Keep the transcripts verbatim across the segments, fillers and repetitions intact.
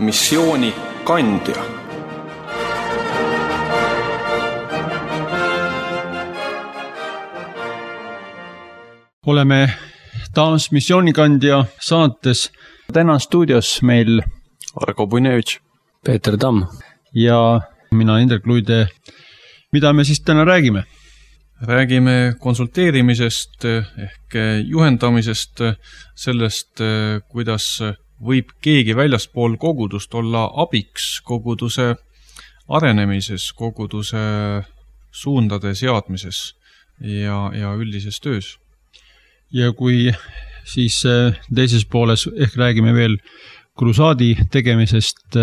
missioonikandja. Oleme taas missioonikandja saates. Täna stuudios meil Argo Punevitš, Peeter Tamm ja mina Indrek Luide. Mida me siis täna räägime? Räägime konsulteerimisest ehk juhendamisest, sellest, kuidas võib keegi väljaspool kogudust olla abiks koguduse arenemises, koguduse suundade seadmises ja, ja üldises töös. Ja kui siis teises pooles ehk räägime veel krusaadi tegemisest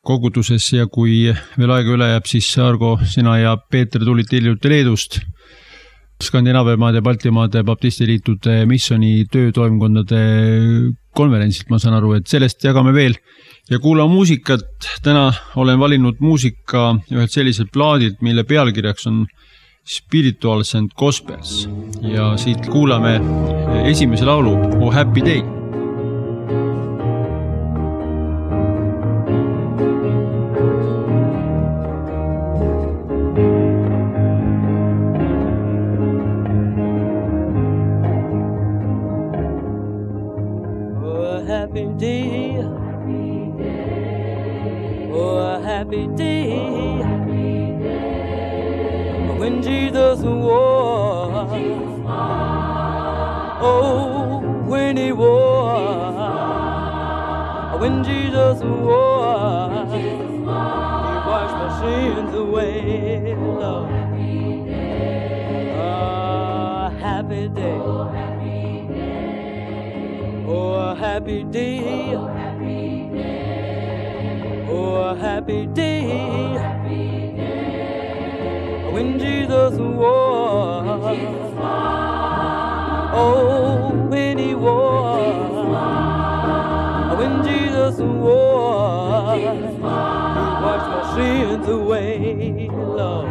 koguduses ja kui veel aega üle jääb, siis Argo, sina ja Peeter tulite hiljuti Leedust Skandinaavia maade, Baltimaade, baptistiliitude, missioni töötoimkondade konverentsilt, ma saan aru, et sellest jagame veel ja kuula muusikat. Täna olen valinud muusika ühelt selliselt plaadilt, mille pealkirjaks on Spirituals and Gospels ja siit kuulame esimese laulu Oh Happy Day. Oh happy day, oh happy day, when Jesus was, oh, when he was, when Jesus was, he washed my sins away, Lord. Oh, happy day, oh, happy day, oh, happy day. When Jesus was, oh, when he was, when Jesus was, he washed my sins away, Lord.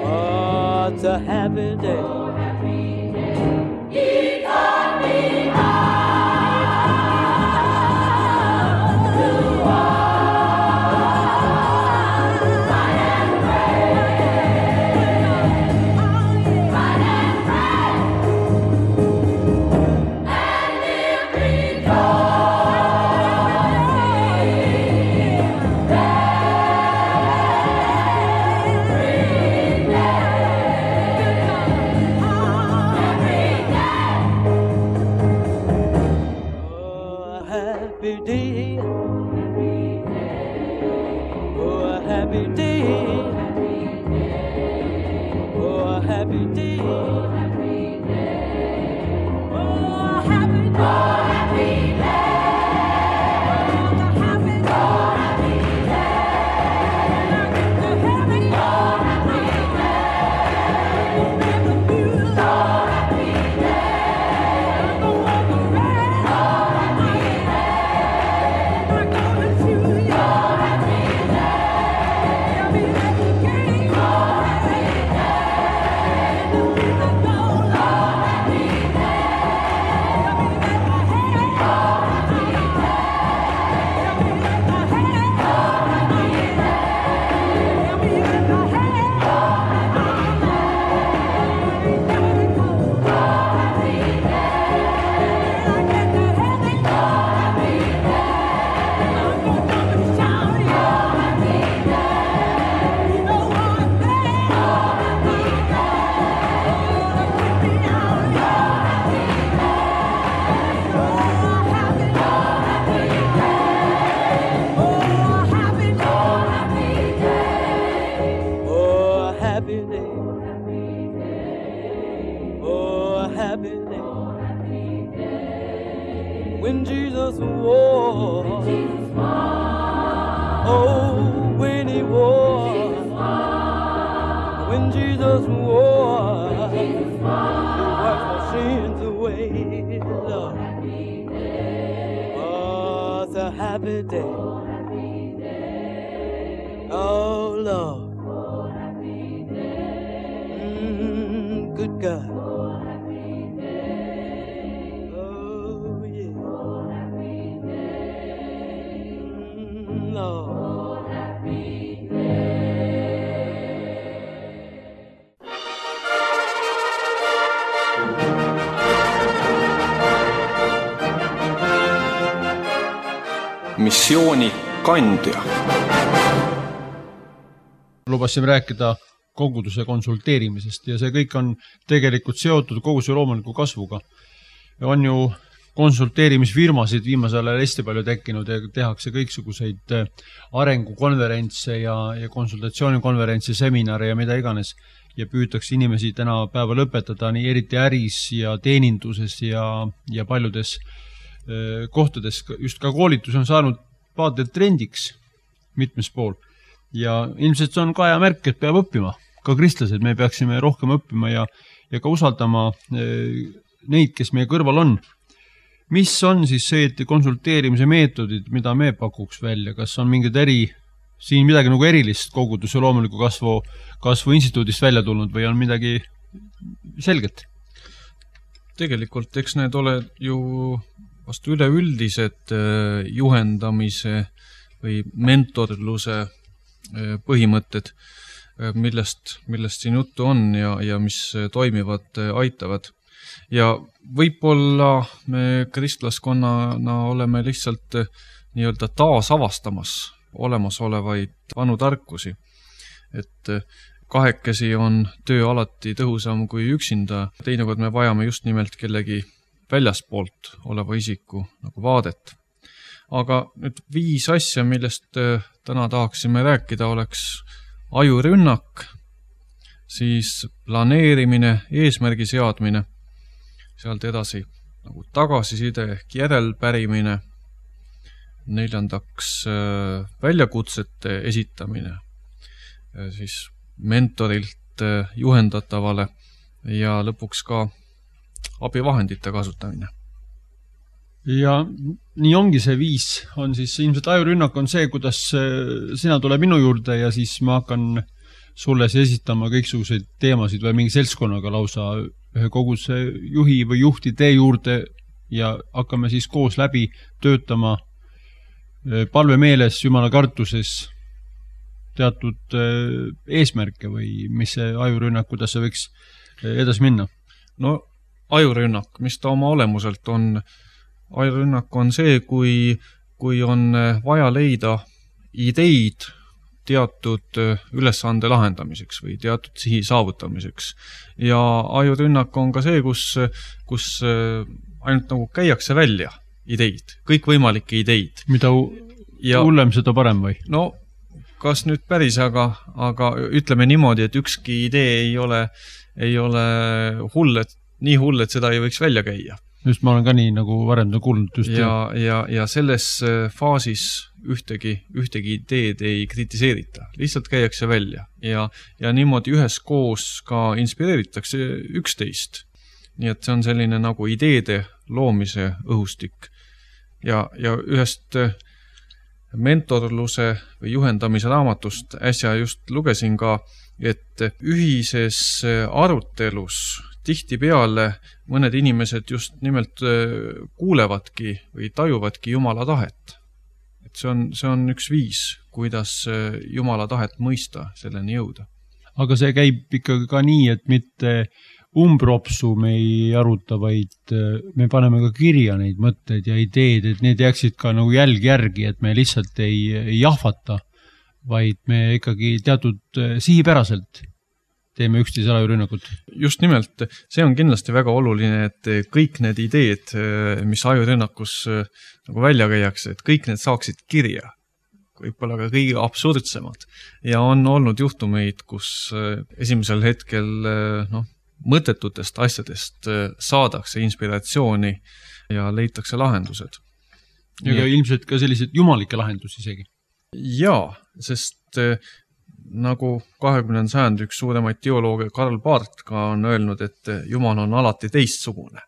Oh, it's a happy day. He taught me how. missiooni kandja. Lubasime rääkida koguduse konsulteerimisest ja see kõik on tegelikult seotud koguduse loomuliku kasvuga. On ju konsulteerimisfirmasid viimasel ajal hästi palju tekkinud ja tehakse kõiksuguseid arengukonverentse ja, ja konsultatsioonikonverentse, seminare ja mida iganes. Ja püütakse inimesi täna päeva lõpetada nii eriti äris ja teeninduses ja, ja paljudes äh, kohtades. Just ka koolitus on saanud vaatelt trendiks mitmes pool. Ja ilmselt see on ka aja märk, et peab õppima. Ka kristlased me peaksime rohkem õppima ja, ja ka usaldama äh, neid, kes meie kõrval on. Mis on siis see konsulteerimise meetodid, mida me pakuks välja? Kas on mingid eri, siin midagi nagu erilist koguduse loomuliku kasvu, kasvu instituudist välja tulnud või on midagi selget? Tegelikult eks need ole ju vast üleüldised juhendamise või mentorluse põhimõtted, millest, millest siin juttu on ja, ja mis toimivad, aitavad. Ja võib-olla me kristlaskonnana oleme lihtsalt nii-öelda taasavastamas olemasolevaid vanu tarkusi. Et kahekesi on töö alati tõhusam kui üksinda. Teinekord me vajame just nimelt kellegi väljaspoolt oleva isiku nagu vaadet. Aga nüüd viis asja, millest täna tahaksime rääkida, oleks ajurünnak, siis planeerimine, eesmärgi seadmine, sealt edasi nagu tagasiside ehk järelpärimine, neljandaks väljakutsete esitamine, siis mentorilt juhendatavale ja lõpuks ka abivahendite kasutamine. Ja nii ongi see viis, on siis ilmselt ajurünnak on see, kuidas sina tule minu juurde ja siis ma hakkan sulle esitama kõiksuguseid teemasid või mingi seltskonnaga lausa ühe koguduse juhi või juhti tee juurde ja hakkame siis koos läbi töötama palve meeles, jumala kartuses teatud eesmärke või mis see ajurünnak, kuidas see võiks edasi minna? No ajurünnak, mis ta oma olemuselt on? Ajurünnak on see, kui, kui on vaja leida ideid teatud ülesande lahendamiseks või teatud sihi saavutamiseks. Ja ajurünnak on ka see, kus, kus ainult nagu käiakse välja ideid, kõikvõimalikke ideid. Mida ja, hullem seda parem või? No, kas nüüd päris, aga, aga ütleme niimoodi, et ükski idee ei ole, ei ole hull, et, nii hull, et seda ei võiks välja käia. Just ma olen ka nii nagu varem kuulnud. Just ja, ja, ja selles faasis ühtegi, ühtegi ideed ei kritiseerita. Lihtsalt käiakse välja. Ja, ja niimoodi ühes koos ka inspireeritakse üksteist. Nii et see on selline nagu ideede loomise õhustik. Ja, ja ühest mentorluse või juhendamise raamatust äsja just lugesin ka, et ühises arutelus tihti peale mõned inimesed just nimelt kuulevadki või tajuvadki Jumala tahet. Et see on, see on üks viis, kuidas Jumala tahet mõista selleni jõuda. Aga see käib ikkagi ka nii, et mitte umbropsu me ei aruta, vaid me paneme ka kirja neid mõtteid ja ideed, et need jääksid ka nagu jälg järgi, et me lihtsalt ei, ei jahvata, vaid me ikkagi teatud sihipäraselt teeme üksteise ajurünnakut. Just nimelt, see on kindlasti väga oluline, et kõik need ideed, mis ajurünnakus nagu välja käiakse, et kõik need saaksid kirja. Võib-olla ka kõige absurdsemad. Ja on olnud juhtumeid, kus esimesel hetkel noh, mõttetutest asjadest saadakse inspiratsiooni ja leitakse lahendused. Ja ka ilmselt ka sellised jumalikke lahendusi isegi. Jaa, sest nagu kahekümnenda sajandi üks suuremaid teolooge Karl Barth ka on öelnud, et Jumal on alati teistsugune.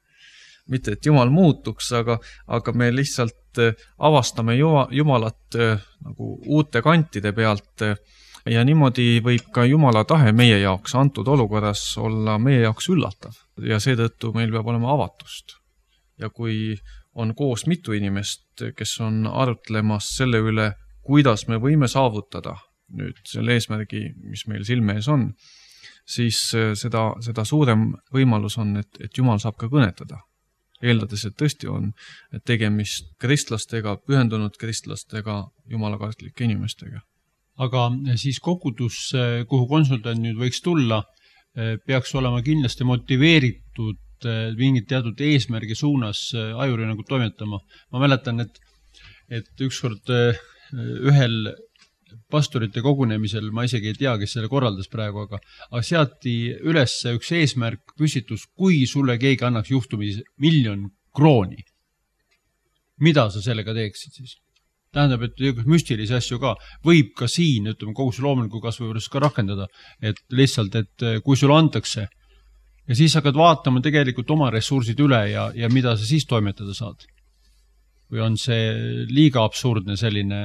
Mitte, et Jumal muutuks, aga, aga me lihtsalt avastame Jumalat nagu uute kantide pealt ja niimoodi võib ka Jumala tahe meie jaoks antud olukorras olla meie jaoks üllatav ja seetõttu meil peab olema avatust. Ja kui on koos mitu inimest, kes on arutlemas selle üle, kuidas me võime saavutada nüüd selle eesmärgi, mis meil silme ees on, siis seda, seda suurem võimalus on, et, et Jumal saab ka kõnetada. eeldades, et tõesti on tegemist kristlastega, pühendunud kristlastega, jumalakartlike inimestega. Aga siis kogudus, kuhu konsultant nüüd võiks tulla, peaks olema kindlasti motiveeritud mingit teatud eesmärgi suunas ajuri nagu toimetama. Ma mäletan, et, et ükskord ühel pastorite kogunemisel, ma isegi ei tea, kes selle korraldas praegu, aga, aga seati üles üks eesmärk püstitus, kui sulle keegi annaks juhtumis miljon krooni. Mida sa sellega teeksid siis? Tähendab, et müstilisi asju ka võib ka siin, ütleme, kogu see loomuliku kasvu juures ka rakendada, et lihtsalt, et kui sulle antakse ja siis hakkad vaatama tegelikult oma ressursid üle ja, ja mida sa siis toimetada saad. Või on see liiga absurdne selline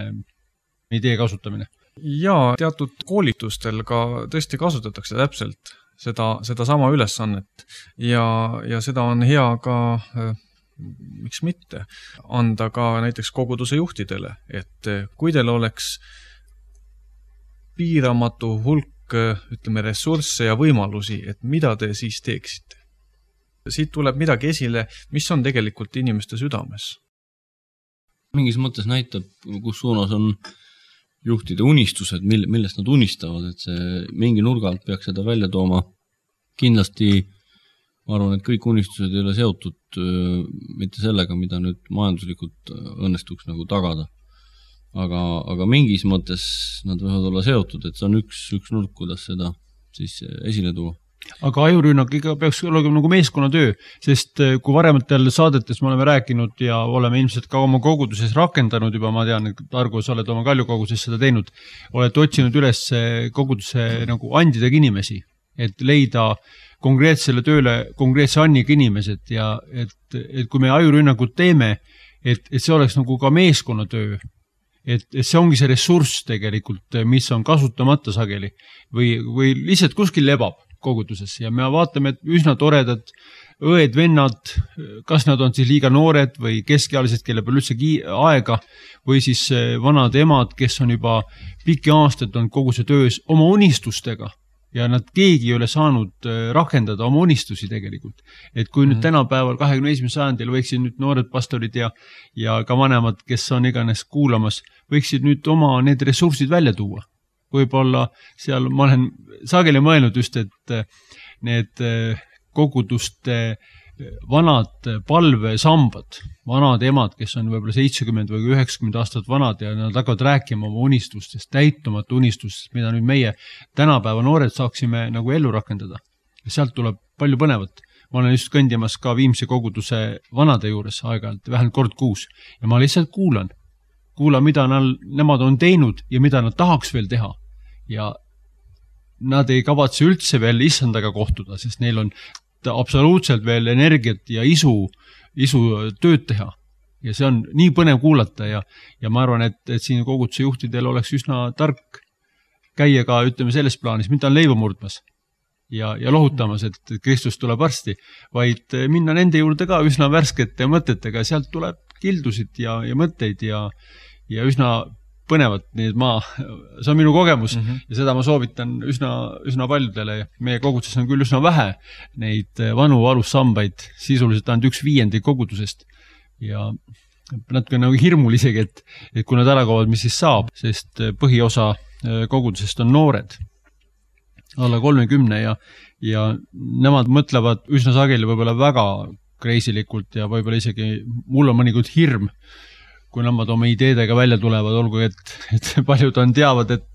idee kasutamine? Jaa, teatud koolitustel ka tõesti kasutatakse täpselt seda, seda sama ülesannet ja, ja seda on hea ka, miks mitte, anda ka näiteks koguduse juhtidele, et kui teil oleks piiramatu hulk, ütleme, ressursse ja võimalusi, et mida te siis teeksite. Siit tuleb midagi esile, mis on tegelikult inimeste südames. Mingis mõttes näitab, kus suunas on juhtide unistused, millest nad unistavad, et see mingi nurgalt peaks seda välja tooma. Kindlasti ma arvan, et kõik unistused ei ole seotud mitte sellega, mida nüüd majanduslikult õnnestuks nagu tagada. Aga, aga mingis mõttes nad võivad olla seotud, et see on üks, üks nurk, kuidas seda siis esile tuua. Aga ajurünnak ikka peaks olema nagu meeskonnatöö, sest kui varematel saadetes me oleme rääkinud ja oleme ilmselt ka oma koguduses rakendanud juba, ma tean, et Argo, sa oled oma Kaljukoguses seda teinud, oled otsinud üles koguduse nagu andidega inimesi, et leida konkreetsele tööle konkreetse anniga inimesed ja et, et kui me ajurünnakud teeme, et, et see oleks nagu ka meeskonnatöö, et, et see ongi see ressurss tegelikult, mis on kasutamata sageli või, või lihtsalt kuskil lebab koguduses ja me vaatame, et üsna toredad õed, vennad, kas nad on siis liiga noored või keskealised, kelle peal üldse aega või siis vanad emad, kes on juba pikki aastaid on kogu see töös oma unistustega ja nad keegi ei ole saanud rakendada oma unistusi tegelikult. Et kui nüüd tänapäeval kahekümne esimesel sajandil võiksid nüüd noored pastorid ja, ja ka vanemad, kes on iganes kuulamas, võiksid nüüd oma need ressursid välja tuua. Võib-olla seal ma olen sageli mõelnud just, et need koguduste vanad palvesambad, vanad emad, kes on võib-olla seitsekümmend või üheksakümmend aastat vanad ja nad hakkavad rääkima oma unistustest, täitumata unistustest, mida nüüd meie tänapäeva noored saaksime nagu ellu rakendada. Ja sealt tuleb palju põnevat. Ma olen just kõndimas ka Viimsi koguduse vanade juures aeg-ajalt, vähemalt kord kuus ja ma lihtsalt kuulan. Kuulan, mida nad, nemad on teinud ja mida nad tahaks veel teha. Ja nad ei kavatse üldse veel issandaga kohtuda, sest neil on absoluutselt veel energiat ja isu, isu tööd teha. Ja see on nii põnev kuulata ja, ja ma arvan, et, et siin koguduse juhtidel oleks üsna tark käia ka, ütleme, selles plaanis, mida on leiva murdmas ja, ja lohutamas, et Kristus tuleb varsti, vaid minna nende juurde ka üsna värskete mõtetega, sealt tuleb kildusid ja, ja mõtteid ja, ja üsna põnevat, nii et ma, see on minu kogemus mm -hmm. ja seda ma soovitan üsna, üsna paljudele. Meie koguduses on küll üsna vähe neid vanu alussambaid, sisuliselt ainult üks viiendi kogudusest ja natuke nagu hirmul isegi, et, et kui nad ära kaovad, mis siis saab, sest põhiosa kogudusest on noored, alla kolmekümne ja, ja nemad mõtlevad üsna sageli võib-olla väga kreisilikult ja võib-olla isegi mul on mõnikord hirm, kui nemad oma ideedega välja tulevad, olgu, et, et paljud on teavad, et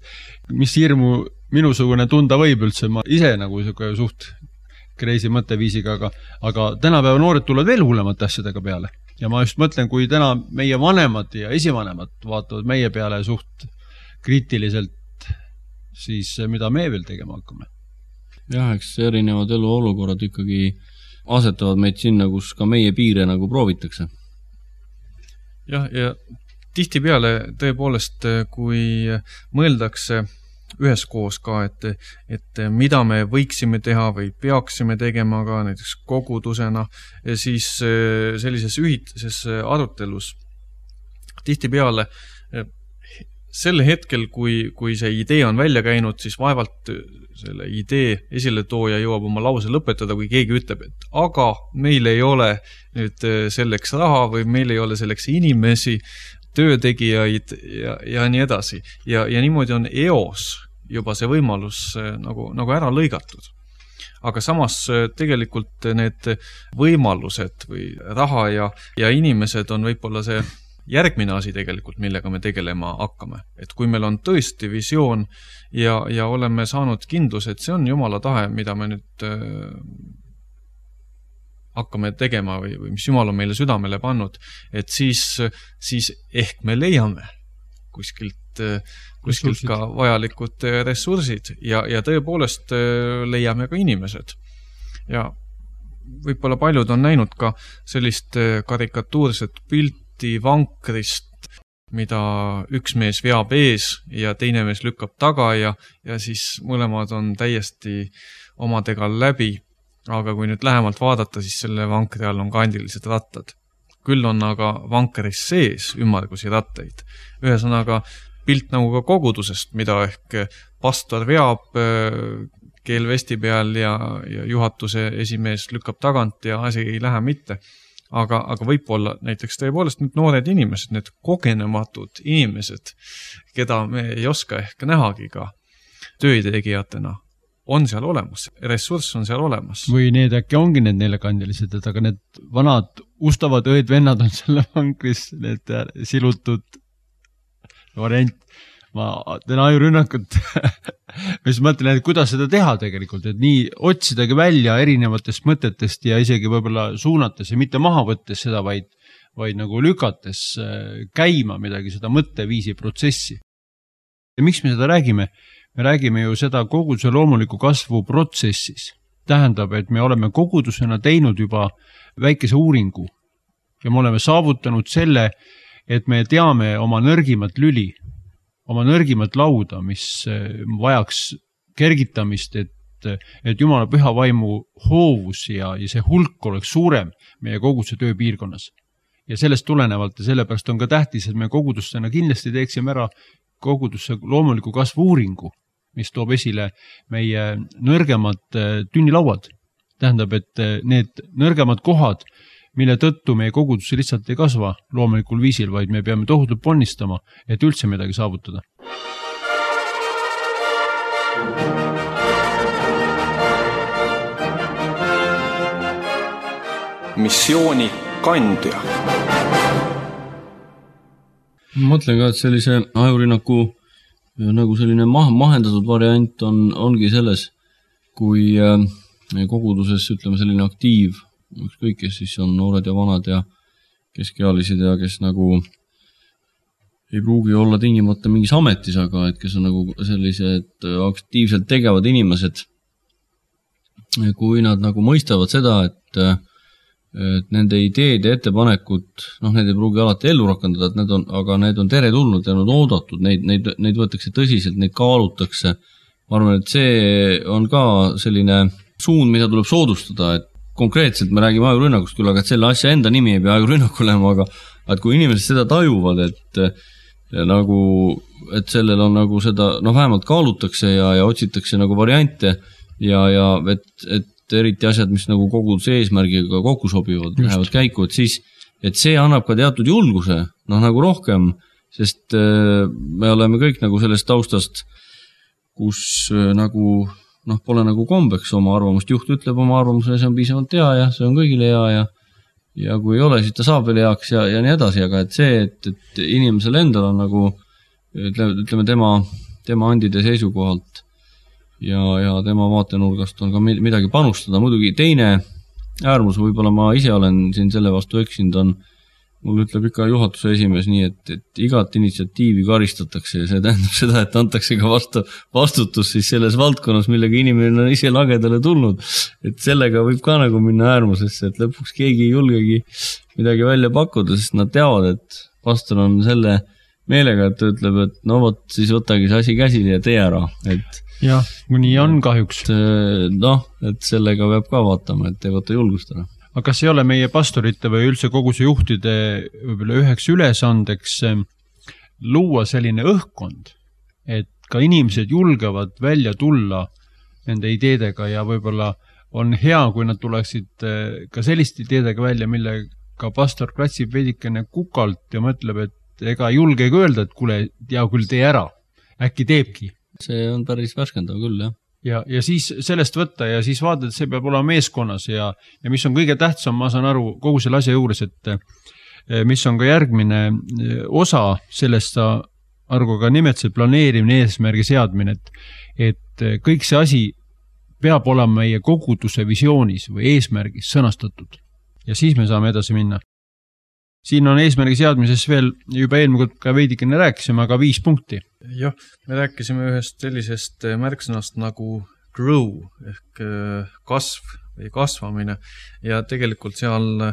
mis hirmu minusugune tunda võib üldse, ma ise nagu suht kreisi mõtteviisiga, aga, aga tänapäeva noored tulevad veel hullemate asjadega peale. Ja ma just mõtlen, kui täna meie vanemad ja esivanemad vaatavad meie peale suht kriitiliselt, siis mida me veel tegema hakkame? Jah, eks erinevad eluolukorrad ikkagi asetavad meid sinna, kus ka meie piire nagu proovitakse. Jah, ja tihtipeale tõepoolest, kui mõeldakse üheskoos ka, et, et mida me võiksime teha või peaksime tegema ka näiteks kogudusena, siis sellises ühitises arutelus tihtipeale sel hetkel, kui, kui see idee on välja käinud, siis vaevalt selle idee esiletooja jõuab oma lause lõpetada, kui keegi ütleb, et aga meil ei ole nüüd selleks raha või meil ei ole selleks inimesi, töötegijaid ja, ja nii edasi. Ja, ja niimoodi on eos juba see võimalus nagu, nagu ära lõigatud. Aga samas tegelikult need võimalused või raha ja, ja inimesed on võib-olla see järgmine asi tegelikult, millega me tegelema hakkame. Et kui meil on tõesti visioon ja, ja oleme saanud kindlus, et see on Jumala tahe, mida me nüüd hakkame tegema või, või mis Jumal on meile südamele pannud, et siis, siis ehk me leiame kuskilt, kuskilt ka vajalikud ressursid ja, ja tõepoolest leiame ka inimesed. Ja võib-olla paljud on näinud ka sellist karikatuurset pilti vankrist, mida üks mees veab ees ja teine mees lükkab taga ja, ja siis mõlemad on täiesti omadega läbi. Aga kui nüüd lähemalt vaadata, siis selle vankri all on kandilised rattad. Küll on aga vankeris sees ümmargusi rattaid. Ühesõnaga pilt nagu ka kogudusest, mida ehk pastor veab keelvesti peal ja, ja juhatuse esimees lükkab tagant ja asi ei lähe mitte. Aga, aga võib-olla näiteks tõepoolest nüüd noored inimesed, need kogenematud inimesed, keda me ei oska ehk nähagi ka töötegijatena, on seal olemas, ressurss on seal olemas. Või need äkki ongi need neljakandilised, et aga need vanad ustavad õed-vennad on selle vankris, need silutud variant. Ma teen ajurünnakut, mis mõtlen, et kuidas seda teha tegelikult, et nii otsidagi välja erinevatest mõtetest ja isegi võib-olla suunates ja mitte maha võttes seda, vaid, vaid nagu lükates käima midagi, seda mõtteviisi protsessi. Ja miks me seda räägime? Me räägime ju seda koguduse loomuliku kasvu protsessis. Tähendab, et me oleme kogudusena teinud juba väikese uuringu ja me oleme saavutanud selle, et me teame oma nõrgimat lüli, oma nõrgimat lauda, mis vajaks kergitamist, et, et Jumala püha vaimu hoovus ja, ja see hulk oleks suurem meie koguduse tööpiirkonnas. Ja sellest tulenevalt ja sellepärast on ka tähtis, et me kogudustena kindlasti teeksime ära kogudusse loomuliku kasvu uuringu, mis toob esile meie nõrgemad tünnilauad. Tähendab, et need nõrgemad kohad, mille tõttu meie kogudusse lihtsalt ei kasva loomulikul viisil, vaid me peame tohutult ponnistama, et üldse midagi saavutada. Missiooni kandja. Ma mõtlen ka, et sellise ajurünnaku nagu selline mah- mahendatud variant on, ongi selles, kui meie koguduses, ütleme, selline aktiiv, ükskõik, kes siis on noored ja vanad ja keskealised ja kes nagu ei pruugi olla tingimata mingis ametis, aga et kes on nagu sellised aktiivselt tegevad inimesed, kui nad nagu mõistavad seda, et et nende ideed ja ettepanekud, noh, need ei pruugi alati ellu rakendada, et need on, aga need on teretulnud ja need oodatud, neid, neid, neid võetakse tõsiselt, neid kaalutakse. Ma arvan, et see on ka selline suund, mida tuleb soodustada, et konkreetselt me räägime ajurünnakust küll, aga et selle asja enda nimi ei pea ajurünnak olema, aga et kui inimesed seda tajuvad, et nagu, et sellel on nagu seda, noh, vähemalt kaalutakse ja, ja otsitakse nagu variante ja, ja et, et eriti asjad, mis nagu koguduse eesmärgiga kokku sobivad, lähevad käiku, et siis, et see annab ka teatud julguse, noh, nagu rohkem, sest me oleme kõik nagu sellest taustast, kus nagu, noh, pole nagu kombeks oma arvamust, juht ütleb oma arvamuse, see on piisavalt hea ja see on kõigile hea ja, ja kui ei ole, siis ta saab veel heaks ja, ja nii edasi, aga et see, et, et inimesel endal on nagu, ütleme, tema, tema andide seisukohalt ja, ja tema vaatenurgast on ka midagi panustada. Muidugi teine äärmus, võib-olla ma ise olen siin selle vastu eksinud, on, mul ütleb ikka juhatuse esimees nii, et, et igat initsiatiivi karistatakse ja see tähendab seda, et antakse ka vastu, vastutus siis selles valdkonnas, millega inimene on ise lagedale tulnud. Et sellega võib ka nagu minna äärmusesse, et lõpuks keegi ei julgegi midagi välja pakkuda, sest nad teavad, et pastor on selle meelega, et ta ütleb, et no vot, siis võtagi see asi käsile ja tee ära. Et jah, nii on kahjuks. Noh, et sellega peab ka vaatama, et ei võta julgust ära. Aga kas ei ole meie pastorite või üldse koguse juhtide võib-olla üheks ülesandeks luua selline õhkkond, et ka inimesed julgevad välja tulla nende ideedega ja võib-olla on hea, kui nad tuleksid ka selliste ideedega välja, millega pastor klatsib veidikene kukalt ja mõtleb, et ega julgegi öelda, et kuule, ja küll tee ära, äkki teebki. See on päris värskendav küll, jah. Ja, ja siis sellest võtta ja siis vaadata, et see peab olema meeskonnas ja, ja mis on kõige tähtsam, ma saan aru kogu selle asja juures, et mis on ka järgmine osa sellest sa Argo ka nimetasid, planeerimine, eesmärgi seadmine, et, et kõik see asi peab olema meie koguduse visioonis või eesmärgis sõnastatud ja siis me saame edasi minna. Siin on eesmärgi seadmises veel juba eelmine ka veidikene rääkisime, aga viis punkti. Jah, me rääkisime ühest sellisest märksõnast nagu grow ehk kasv või kasvamine ja tegelikult seal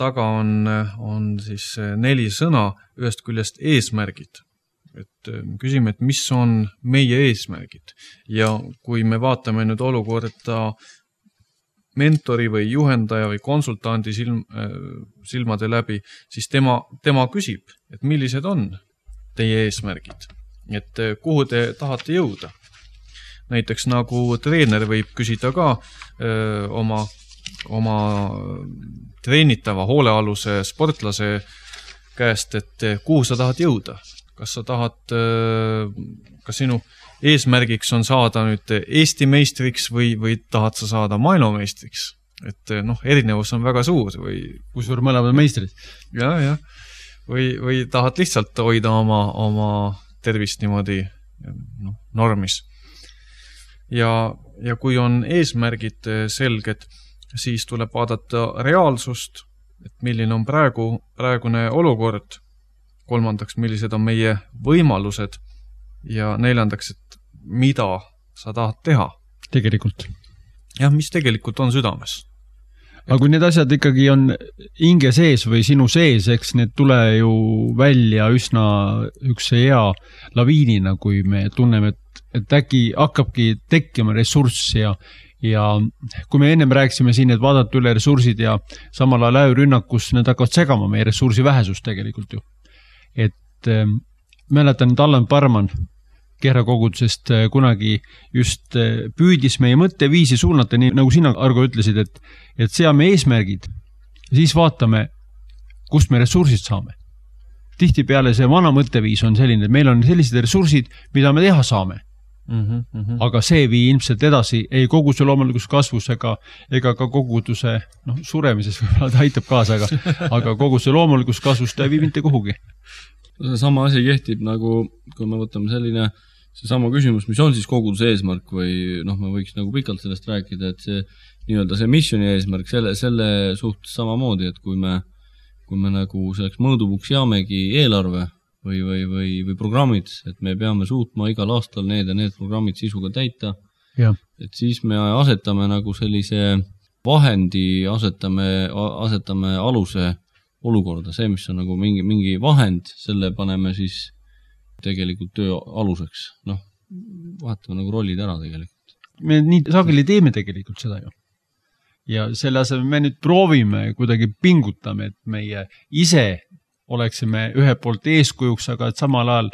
taga on, on siis neli sõna, ühest küljest eesmärgid. Et küsime, et mis on meie eesmärgid ja kui me vaatame nüüd olukorda mentori või juhendaja või konsultandi silm, silmade läbi, siis tema, tema küsib, et millised on teie eesmärgid, et kuhu te tahate jõuda. Näiteks nagu treener võib küsida ka öö, oma, oma treenitava hoolealuse sportlase käest, et kuhu sa tahad jõuda. Kas sa tahad, kas sinu eesmärgiks on saada nüüd Eesti meistriks või, või tahad sa saada maailmameistriks? Et noh, erinevus on väga suur või... Kui suur mõlemad meistrid? Ja, ja. Või, või tahad lihtsalt hoida oma, oma tervist niimoodi no, normis. Ja, ja kui on eesmärgid selged, siis tuleb vaadata reaalsust, et milline on praegu, praegune olukord, kolmandaks, millised on meie võimalused ja neljandaks, et mida sa tahad teha. Tegelikult. Jah, mis tegelikult on südames. Aga kui need asjad ikkagi on hinge sees või sinu sees, eks need tule ju välja üsna üks hea laviinina, kui me tunneme, et, et äkki hakkabki tekkima ressurss ja ja kui me ennem rääkisime siin, et vaadata üle ressursid ja samal ajal äürünnakus need hakkavad segama meie ressursi vähesust tegelikult ju. Et äh, mäletan, et Allan Parman Kehrakogudusest äh, kunagi just äh, püüdis meie mõtteviisi suunata, nii nagu sina, Argo, ütlesid, et, et seame eesmärgid, siis vaatame, kust me ressursid saame. Tihtipeale see vana mõtteviis on selline, et meil on sellised ressursid, mida me teha saame. Mm-hmm, mm-hmm. Aga see vii ilmselt edasi ei koguduse loomulikus kasvus ega, ega ka koguduse no, suremises võib-olla ta aitab kaasa, aga, aga koguduse loomulikus kasvus ta ei vii mitte kuhugi. See sama asi kehtib nagu, kui me võtame selline see sama küsimus, mis on siis koguduse eesmärk või noh, me võiks nagu pikalt sellest rääkida, et see nii-öelda see missioni eesmärk selle, selle suhtes samamoodi, et kui me, kui me nagu selleks mõõdupuks jaamegi eelarve või, või, või, või programmid, et me peame suutma igal aastal need ja need programmid sisuga täita, ja. Et siis me asetame nagu sellise vahendi, asetame, asetame aluse olukorda, see, mis on nagu mingi, mingi vahend, selle paneme siis tegelikult töö aluseks. Noh, vahetame nagu rollid ära tegelikult. Me nii sageli teeme tegelikult seda ju. Ja selle asemel me nüüd proovime, kuidagi pingutame, et meie ise oleksime ühe poolt eeskujuks, aga et samal ajal,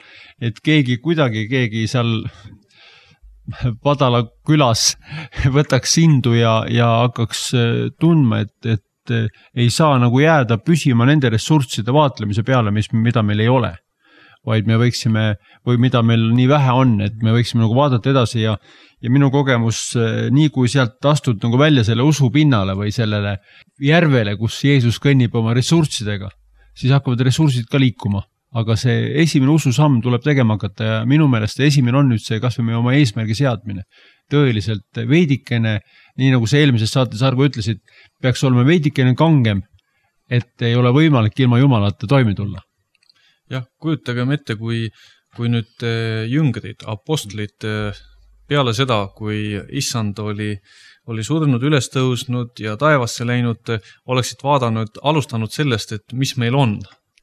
et keegi kuidagi, keegi seal Padala külas võtaks indu ja, ja hakkaks tundma, et, et ei saa nagu jääda püsima nende ressursside vaatlemise peale, mis, mida meil ei ole. Vaid me võiksime, või mida meil nii vähe on, et me võiksime nagu vaadata edasi ja, ja minu kogemus, nii kui sealt astud nagu välja selle usu pinnale või sellele järvele, kus Jeesus kõnnib oma ressurssidega, siis hakkavad ressursid ka liikuma. Aga see esimene ususamm tuleb tegema hakata ja minu meelest esimene on nüüd see, kas või oma eesmärgi seadmine. Tõeliselt veidikene, nii nagu see eelmises saates Argo ütlesid, peaks olema veidikene kangem, et ei ole võimalik ilma Jumalata toime tulla. Jah, kujutagem ette, kui, kui nüüd jüngrid, apostlid peale seda, kui issand oli, oli surnud, üles tõusnud ja taevasse läinud, oleksid vaadanud, alustanud sellest, et mis meil on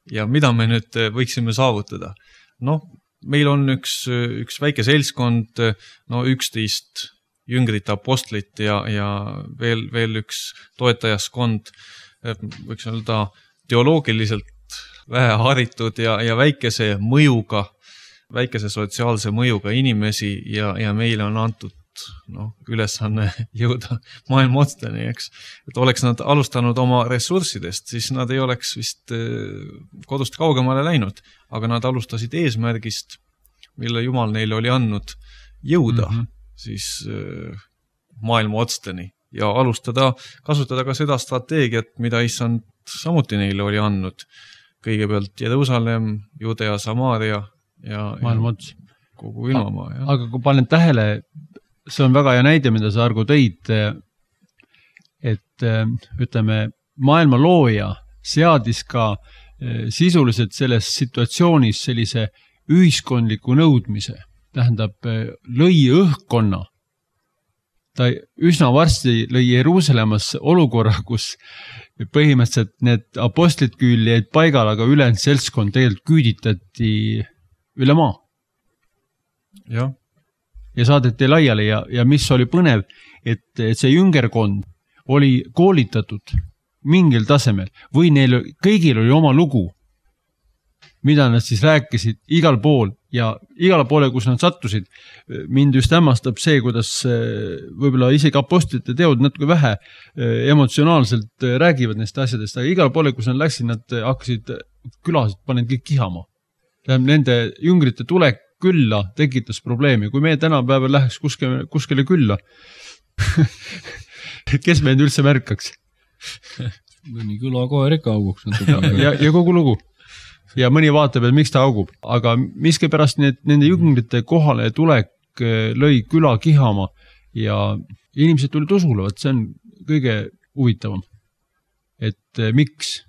ja mida me nüüd võiksime saavutada. Noh, meil on üks, üks väike seltskond, no üksteist jüngrit, apostlit ja, ja veel, veel üks toetajaskond, võiks öelda teoloogiliselt vähe haritud ja, ja väikese mõjuga, väikese sotsiaalse mõjuga inimesi ja, ja meile on antud noh, ülesanne jõuda maailma otsteni, eks. Et oleks nad alustanud oma ressurssidest, siis nad ei oleks vist kodust kaugemale läinud, aga nad alustasid eesmärgist, mille Jumal neile oli andnud jõuda mm -hmm. siis maailma otsteni ja alustada, kasutada ka seda strateegiat, mida issand samuti neile oli andnud. Kõigepealt Jerusalem, Judea, Samaaria ja, maailma ots. Kogu ilmamaa. Ja. Aga kui panen tähele, see on väga hea näide, mida sa, Argo, tõid, et ütleme, maailma looja seadis ka sisuliselt selles situatsioonis sellise ühiskondliku nõudmise, tähendab, lõi õhkkonna. Ta üsna varsti lõi Jeruusalemmas olukorra, kus põhimõtteliselt need apostlid küll jäid paigal, aga ülejäänud seltskond tegelikult küüditati üle maa. Jah. Ja saadeti laiali ja, ja mis oli põnev, et, et see jüngerkond oli koolitatud mingil tasemel või neil kõigil oli oma lugu, mida nad siis rääkisid igal pool ja igal poole, kus nad sattusid. Mind just hämmastab see, kuidas võib-olla isegi apostlite teod natuke vähe emotsionaalselt räägivad neist asjadest, aga igal poole, kus nad läksid, nad hakkasid külasid, panid kõik kihama. Nende jüngrite tulek külla tekitas probleemi. Kui meie tänapäeval läheks kuskile, kuskile külla, kes meid üldse märkaks? Mõni küla koer ikka auguks. ja, ja kogu lugu. Ja mõni vaatab, et miks ta augub. Aga miski pärast need, nende jüngrite kohale tulek lõi küla kihama ja inimesed tulid usule, et see on kõige huvitavam. Et miks?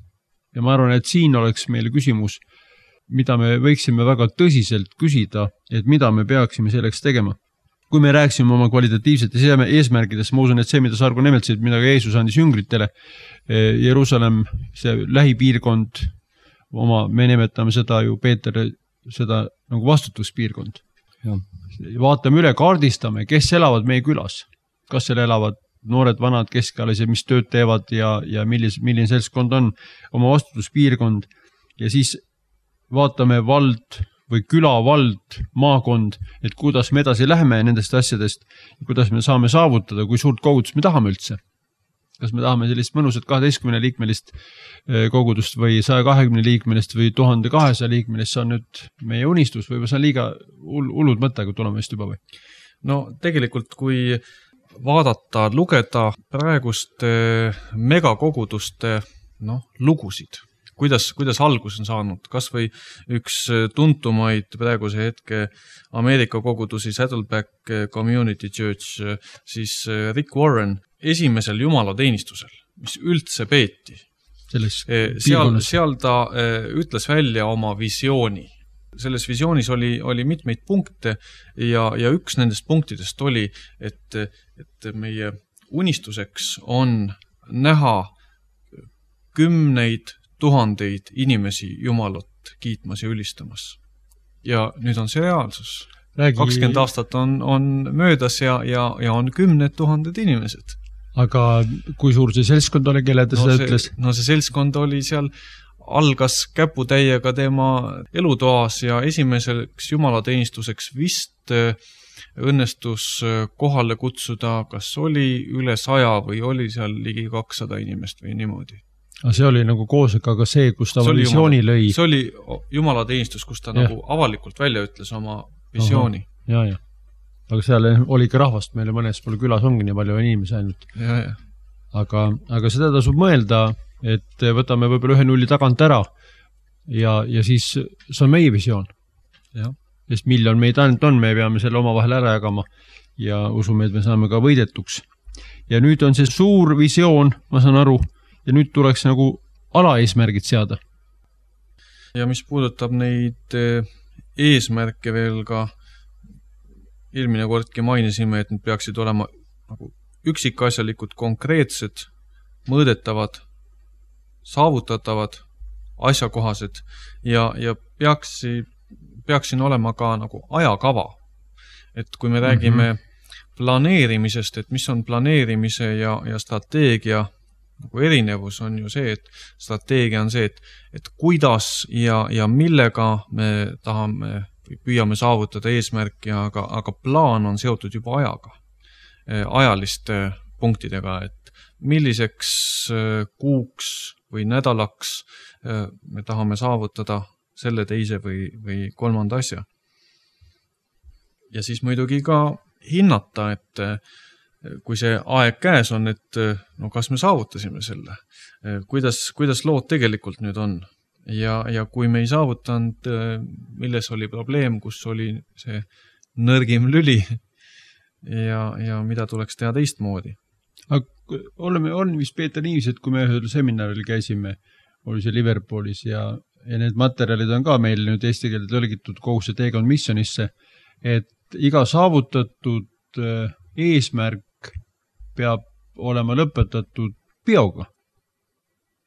Ja ma arvan, et siin oleks meile küsimus, mida me võiksime väga tõsiselt küsida, et mida me peaksime selleks tegema. Kui me rääksime oma kvalitatiivsete eesmärgidest, ma usun, et see, mida Sargo nimetsid, mida ka Jeesus andis jüngritele, Jerusalem, see lähipiirkond, oma, me nimetame seda ju, Peeter, seda nagu vastutuspiirkond. Ja. Vaatame üle, kaardistame, kes elavad meie külas. Kas seal elavad noored, vanad, keskalised, mis tööd teevad ja, ja millis, milline seltskond on oma vastutuspiirkond ja siis vaatame vald või külavald, maakond, et kuidas me edasi läheme nendest asjadest, kuidas me saame saavutada, kui suurt kogudust me tahame üldse. Kas me tahame sellist mõnusat kaheteistkümne liikmelist kogudust või saja kahekümne liikmelist või tuhande kahesaja liikmelist, see on nüüd meie unistus või see on liiga hullud mõte, kui tuleme just juba või? No tegelikult, kui vaadata, lugeda praegust megakoguduste no, lugusid, kuidas, kuidas algus on saanud, kas või üks tuntumaid praeguse hetke Ameerika kogudusi Saddleback Community Church, siis Rick Warren esimesel jumalateenistusel, mis üldse peeti. Seal, seal ta ütles välja oma visiooni. Selles visioonis oli, oli mitmeid punkte ja, ja üks nendest punktidest oli, et, et meie unistuseks on näha kümneid tuhandeid inimesi Jumalat kiitmas ja ülistamas. Ja nüüd on see reaalsus. Räägi... kakskümmend aastat on, on möödas ja, ja, ja on kümned tuhanded inimesed. Aga kui suur see seltskond oli, kelle ta no seda see, ütles? No see seltskond oli seal, algas käputäiega tema elutoas ja esimeseks jumalateenistuseks vist õnnestus kohale kutsuda, kas oli üle saja või oli seal ligi kakssada inimest või niimoodi. Aga see oli nagu koosega ka see, kus ta see visiooni jumala, lõi. See oli jumalateenistus, kus ta ja. nagu avalikult välja ütles oma visiooni. Aha, ja, ja. Aga seal oli ka rahvast, meile mõnes poole külas ongi nii palju inimesi ainult. Ja, ja. Aga, aga seda tasub mõelda, et võtame võib-olla ühe nulli tagant ära ja, ja siis see on meie visioon. Ja. Sest miljon meid ainult on, me peame selle oma vahel ära jagama ja usume, et me saame ka võidetuks. Ja nüüd on see suur visioon, ma saan aru, ja nüüd tuleks nagu alaeesmärgid seada. Ja mis puudutab neid eesmärke veel ka, eelmine kordki mainisime, et need peaksid olema nagu üksikasjalikud, konkreetsed, mõõdetavad, saavutatavad, asjakohased ja, ja peaksi, peaksin olema ka nagu ajakava. Et kui me räägime mm-hmm. planeerimisest, et mis on planeerimise ja, ja strateegia nagu erinevus on ju see, et strateegia on see, et, et kuidas ja, ja millega me tahame või püüame saavutada eesmärki, aga, aga plaan on seotud juba ajaga, ajaliste punktidega, et milliseks kuuks või nädalaks me tahame saavutada selle teise või, või kolmanda asja. Ja siis muidugi ka hinnata, et kui see aeg käes on, et no kas me saavutasime selle, kuidas, kuidas lood tegelikult nüüd on. Ja, ja kui me ei saavutanud, milles oli probleem, kus oli see nõrgim lüli ja, ja mida tuleks teha teistmoodi. Aga oleme, on vist Peeter niivis, et kui me ühel seminaril käisime, oli see Liverpoolis ja, ja need materjalid on ka meil nüüd eesti keelde tõlgitud kogu see teekond missionisse, et iga saavutatud eesmärk peab olema lõpetatud peoga.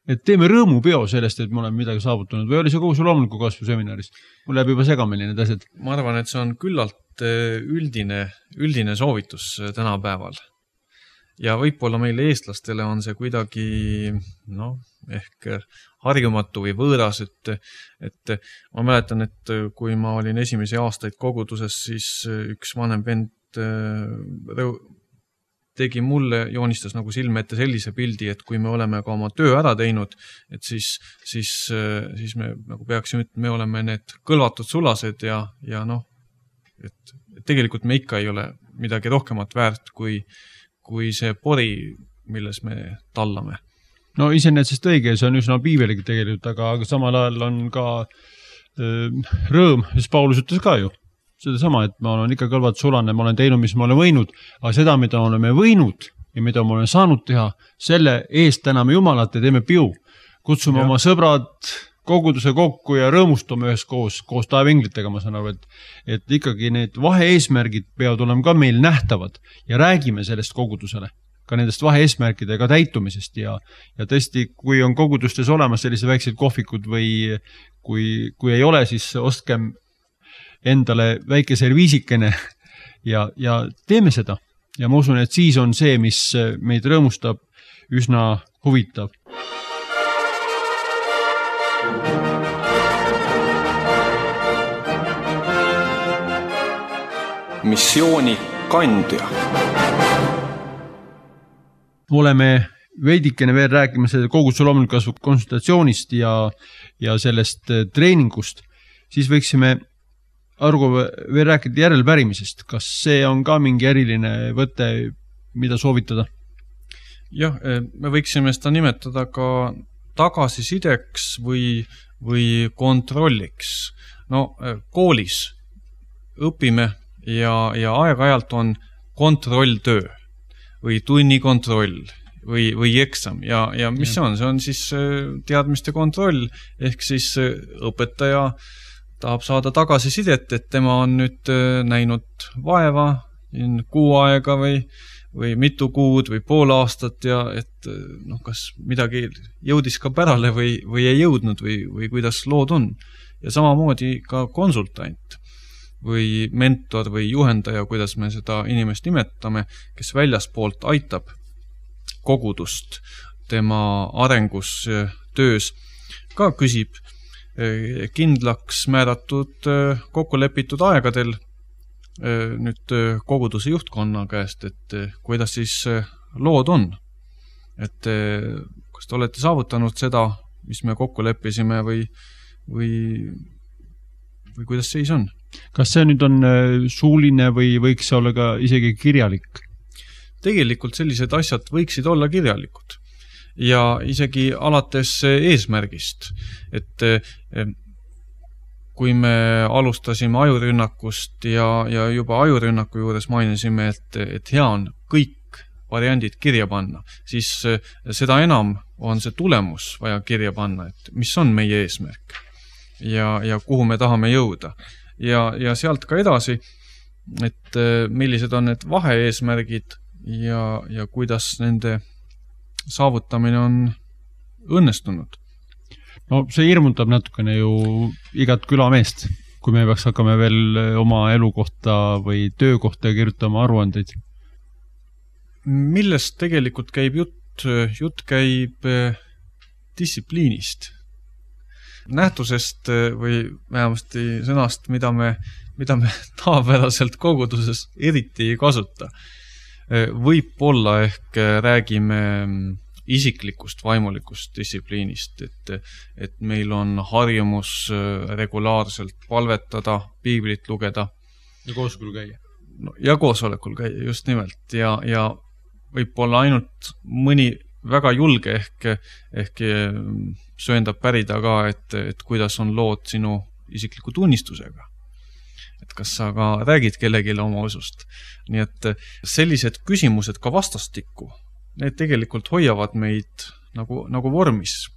Et teeme rõõmupeo sellest, et me oleme midagi saavutanud või oli see kogu see loomuliku kasvu seminaris? Mul läheb juba segamini need asjad. Ma arvan, et see on küllalt üldine, üldine soovitus tänapäeval. Ja võib-olla meile eestlastele on see kuidagi no, ehk harjumatu või võõras, et, et ma mäletan, et kui ma olin esimesi aastaid koguduses, siis üks vanem vend tegi mulle, joonistas nagu silme ette sellise pildi, et kui me oleme ka oma töö ära teinud, et siis, siis, siis me nagu peaksime, et me oleme need kõlvatud sulased ja, ja noh, et tegelikult me ikka ei ole midagi rohkemat väärt kui, kui see pori, milles me tallame. No iseenesest õige, see on üsna piibeligi tegelikult, aga, aga samal ajal on ka äh, rõõm, sest Paulus ütles ka ju. Seda sama, et ma olen ikka kõlvat sulane, ma olen teinud, mis ma olen võinud, aga seda, mida oleme võinud ja mida ma olen saanud teha, selle eest täname Jumalat ja teeme piu. Kutsume ja. Oma sõbrad koguduse kokku ja rõõmustame ühes koos, koos taevinglitega, ma saan aru, et, et ikkagi need vahe-eesmärgid peavad olema ka meil nähtavad ja räägime sellest kogudusele, ka nendest vahe-eesmärkidega täitumisest ja, ja tõesti, kui on kogudustes olemas sellised väiksed kohvikud või kui, kui ei ole, siis ostkem endale väike serviisikene ja, ja teeme seda. Ja ma usun, et siis on see, mis meid rõõmustab, üsna huvitav. Missiooni kandja. Oleme veidikene veel rääkima selle koguduse loomuliku kasvu konsultatsioonist ja, ja sellest treeningust, siis võiksime Argo veel rääkida järelpärimisest. Kas see on ka mingi eriline võte, mida soovitada? Jah, me võiksime seda nimetada ka tagasisideks või, või kontrolliks. No koolis õpime ja, ja aeg-ajalt on kontrolltöö või tunnikontroll või, või eksam. Ja, ja mis see on? See on siis teadmiste kontroll, ehk siis õpetaja tahab saada tagasisidet, et tema on nüüd näinud vaeva kuu aega või, või mitu kuud või pool aastat ja et noh, kas midagi jõudis ka pärale või, või ei jõudnud või, või kuidas lood on. Ja samamoodi ka konsultant või mentor või juhendaja, kuidas me seda inimest nimetame, kes väljaspoolt aitab kogudust tema arengus töös, ka küsib kindlaks määratud kokkulepitud aegadel nüüd koguduse juhtkonna käest, et kuidas siis lood on. Et kas te olete saavutanud seda, mis me kokku leppisime või, või, või kuidas seis on? Kas see nüüd on suuline või võiks see olla ka isegi kirjalik? Tegelikult sellised asjad võiksid olla kirjalikud. Ja isegi alates eesmärgist, et kui me alustasime ajurünnakust ja, ja juba ajurünnaku juures mainisime, et, et hea on kõik variandid kirja panna, siis seda enam on see tulemus vaja kirja panna, et mis on meie eesmärk ja, ja kuhu me tahame jõuda. Ja, ja sealt ka edasi, et millised on need vahe-eesmärgid ja, ja kuidas nende saavutamine on õnnestunud. No see hirmutab natukene ju igat külameest, kui me peaks hakkame veel oma elukohta või töökohta kirjutama aruandeid. Millest tegelikult käib jutt jutt käib distsipliinist. Nähtusest või vähemasti sõnast, mida me, mida me tavapäraselt koguduses eriti ei kasuta. Võib-olla ehk räägime isiklikust vaimulikust distsipliinist, et, et meil on harjumus regulaarselt palvetada, piiblit lugeda. Ja koosolekul käia. No, ja koosolekul käia, just nimelt. Ja, ja võib-olla ainult mõni väga julge ehk, ehk sööndab pärida ka, et, et kuidas on lood sinu isikliku tunnistusega. Et kas sa ka räägid kellegile oma usust. Nii et sellised küsimused ka vastastikku, need tegelikult hoiavad meid nagu, nagu vormis.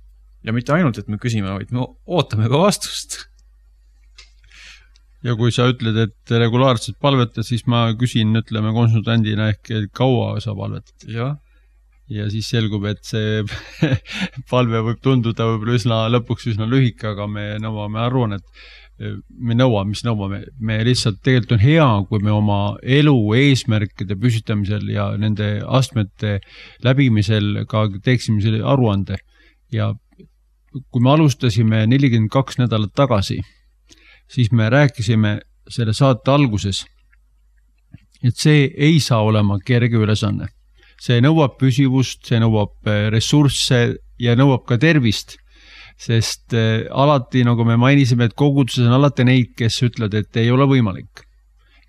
Ja mitte ainult, et me küsime, vaid me ootame ka vastust. Ja kui sa ütled, et regulaarselt palvetad, siis ma küsin, ütleme konsultandina ehk kaua sa palvetad. Ja. Ja siis selgub, et see palve võib tunduda võib-olla üsna lõpuks üsna lühike, aga me nõuame arvan, et me nõuame, mis nõuame. Me lihtsalt tegelikult on hea, kui me oma elu eesmärkide püsitamisel ja nende astmete läbimisel ka teeksime selle aruande. Ja kui me alustasime nelikümmend kaks nädalat tagasi, siis me rääkisime selle saate alguses, et see ei saa olema kerge ülesanne. See nõuab püsivust, see nõuab ressursse ja nõuab ka tervist, sest alati, nagu me mainisime, et koguduses on alati neid, kes ütlevad, et ei ole võimalik.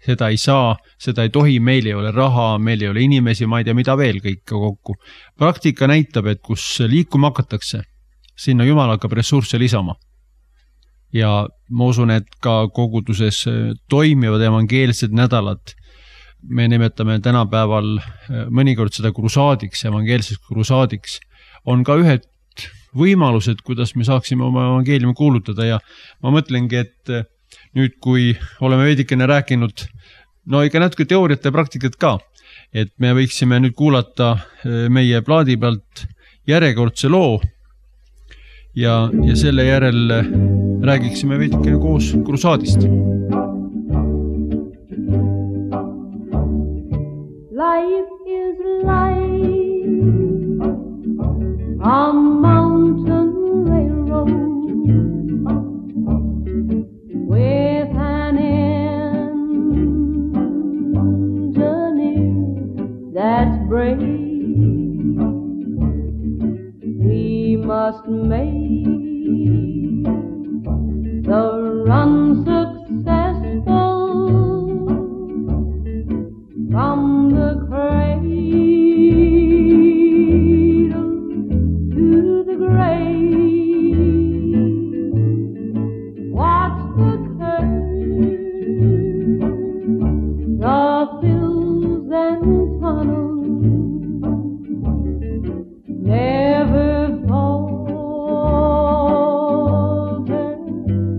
Seda ei saa, seda ei tohi, meil ei ole raha, meil ei ole inimesi, ma ei tea, mida veel kõik kokku. Praktika näitab, et kus liikuma hakatakse, sinna Jumal hakkab ressursse lisama. Ja ma usun, et ka koguduses toimivad evangeelsed nädalad. Me nimetame tänapäeval mõnikord seda krusaadiks, evangeelseks krusaadiks. On ka ühed võimalused, kuidas me saaksime oma evangeeliumi kuulutada ja ma mõtlengi, et nüüd, kui oleme veidikene rääkinud, no ikka natuke teooriat ja praktikat ka, et me võiksime nüüd kuulata meie plaadi pealt järjekordse loo ja, ja selle järel räägiksime veidikene koos krusaadist. Life is life, a mountain railroad with an engineer that's brave. We must make the run successful from the cradle to the grave. Watch the curve, the hills and tunnels, never falter,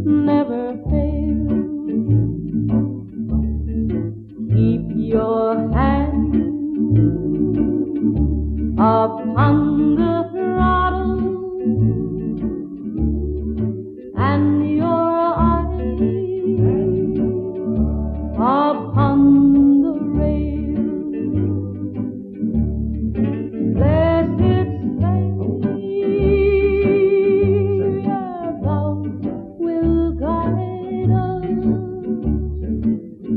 never fail. Keep your hand upon the throttle and your eyes upon the rail. Blessed Savior, thou will guide us.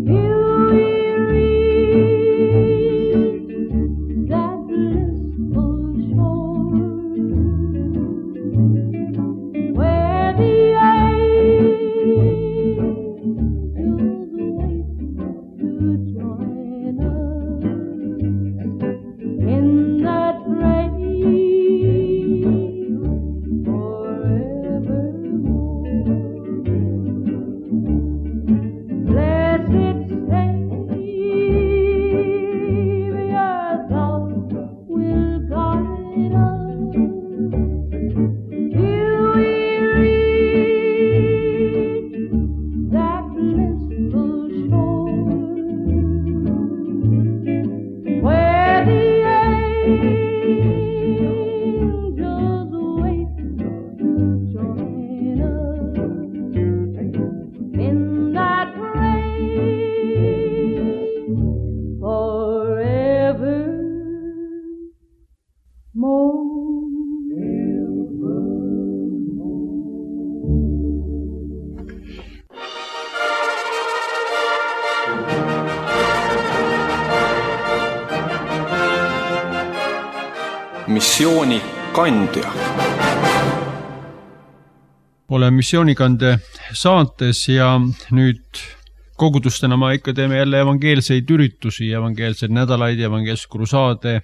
Till we reach that blissful shore. missiooni kandja. Olen missioonikande saates ja nüüd kogudustena ma ikka teeme jälle evangeelseid üritusi, evangeelseid nädalaid, evangeelseid krusaade,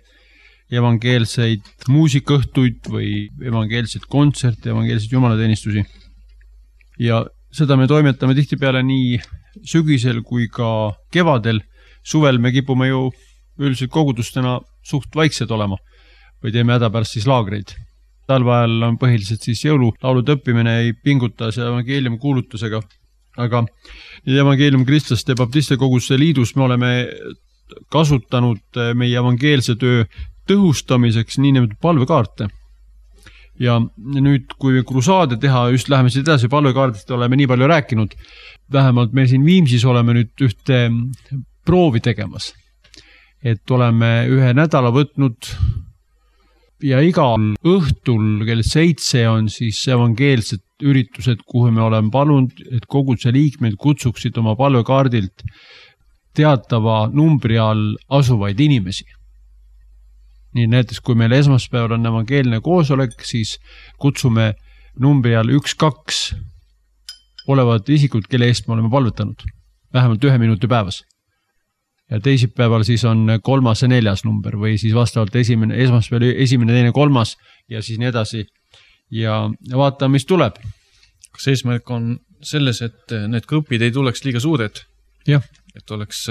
evangeelseid muusikaõhtuid või evangeelseid kontserte, evangeelseid jumalateenistusi. Ja seda me toimetame tihtipeale nii sügisel kui ka kevadel. Suvel me kipume ju üldiselt kogudustena suht vaiksed olema või teeme hädapärast siis laagreid. Talveajal on põhiliselt siis jõululaulud õppimine, ei pinguta see evangeeliumi kuulutusega, aga evangeelium kristlaste baptiste koguduste liidus me oleme kasutanud meie evangeelse töö tõhustamiseks nii nimetatud palvekaarte. Ja nüüd, kui krusaade teha, just läheme siit edasi, palvekaardist oleme nii palju rääkinud, vähemalt me siin Viimsis oleme nüüd ühte proovi tegemas, et oleme ühe nädala võtnud ja igal õhtul kell seitse on siis evangeelsed üritused, kuhu me oleme palunud, et koguduse liikmed kutsuksid oma palvekaardilt teatava numbri all asuvaid inimesi. Nii näiteks, kui meil esmaspäeval on evangeelne koosolek, siis kutsume numbri all üks kaks olevat isikud, kelle eest me oleme palvetanud. Vähemalt ühe minuti päevas. Ja teisipäeval siis on kolmas ja neljas number või siis vastavalt esimene, esmaspäeval esimene, teine, kolmas ja siis nii edasi. Ja vaatame, mis tuleb. Kas eesmärk on selles, et need grupid ei tuleks liiga suured? Jah. Et oleks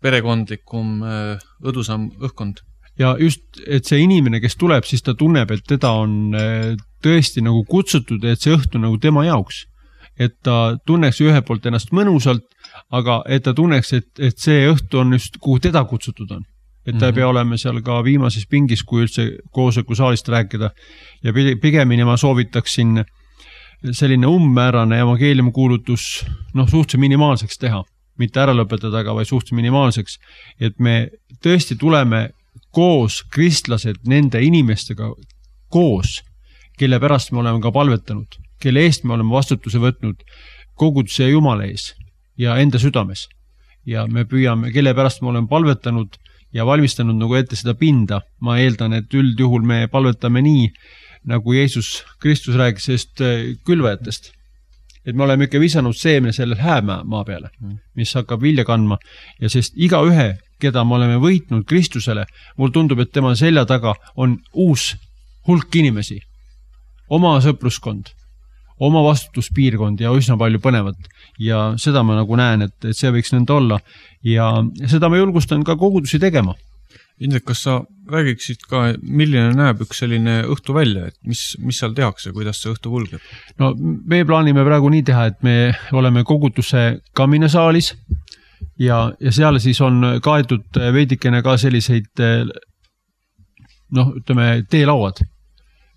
perekondlikum õdusam õhkkond? Ja just, et see inimene, kes tuleb, siis ta tunneb, et teda on tõesti nagu kutsutud, et see õhtu nagu tema jaoks. Et ta tunneks ühe poolt ennast mõnusalt, aga et ta tunneks, et, et see õhtu on just, kuhu teda kutsutud on. Et ta ei pea olema seal ka viimases pingis, kui üldse koosoleku saalist rääkida. Ja pigemini ma soovitaksin selline ummäärane evangeeliumi kuulutus noh, suhteliselt minimaalseks teha. Mitte ära lõpetada, aga vaid suhteliselt minimaalseks. Et me tõesti tuleme koos kristlased nende inimestega koos, kelle pärast me oleme ka palvetanud, kelle eest me oleme vastutuse võtnud koguduse ja Jumala ees ja enda südames. Ja me püüame, kelle pärast me oleme palvetanud ja valmistanud nagu ette seda pinda. Ma eeldan, et üldjuhul me palvetame nii, nagu Jeesus Kristus räägis sellest külvajatest. Et me oleme ikka visanud seemne selle häämaa maa peale, mis hakkab vilja kandma. Ja sest iga ühe, keda me oleme võitnud Kristusele, mul tundub, et tema selja taga on uus hulk inimesi. Oma sõpruskond, oma vastutuspiirkond ja üsna palju põnevat. Ja seda ma nagu näen, et, et see võiks nende olla. Ja seda ma julgustan ka kogudusi tegema. Indrek, kas sa räägiksid ka, milline näeb üks selline õhtu välja, et mis, mis seal tehakse, kuidas see õhtu kulgeb? No me plaanime praegu nii teha, et me oleme koguduse kaminesaalis ja, ja seal siis on kaetud veidikene ka selliseid noh, ütleme, teelauad,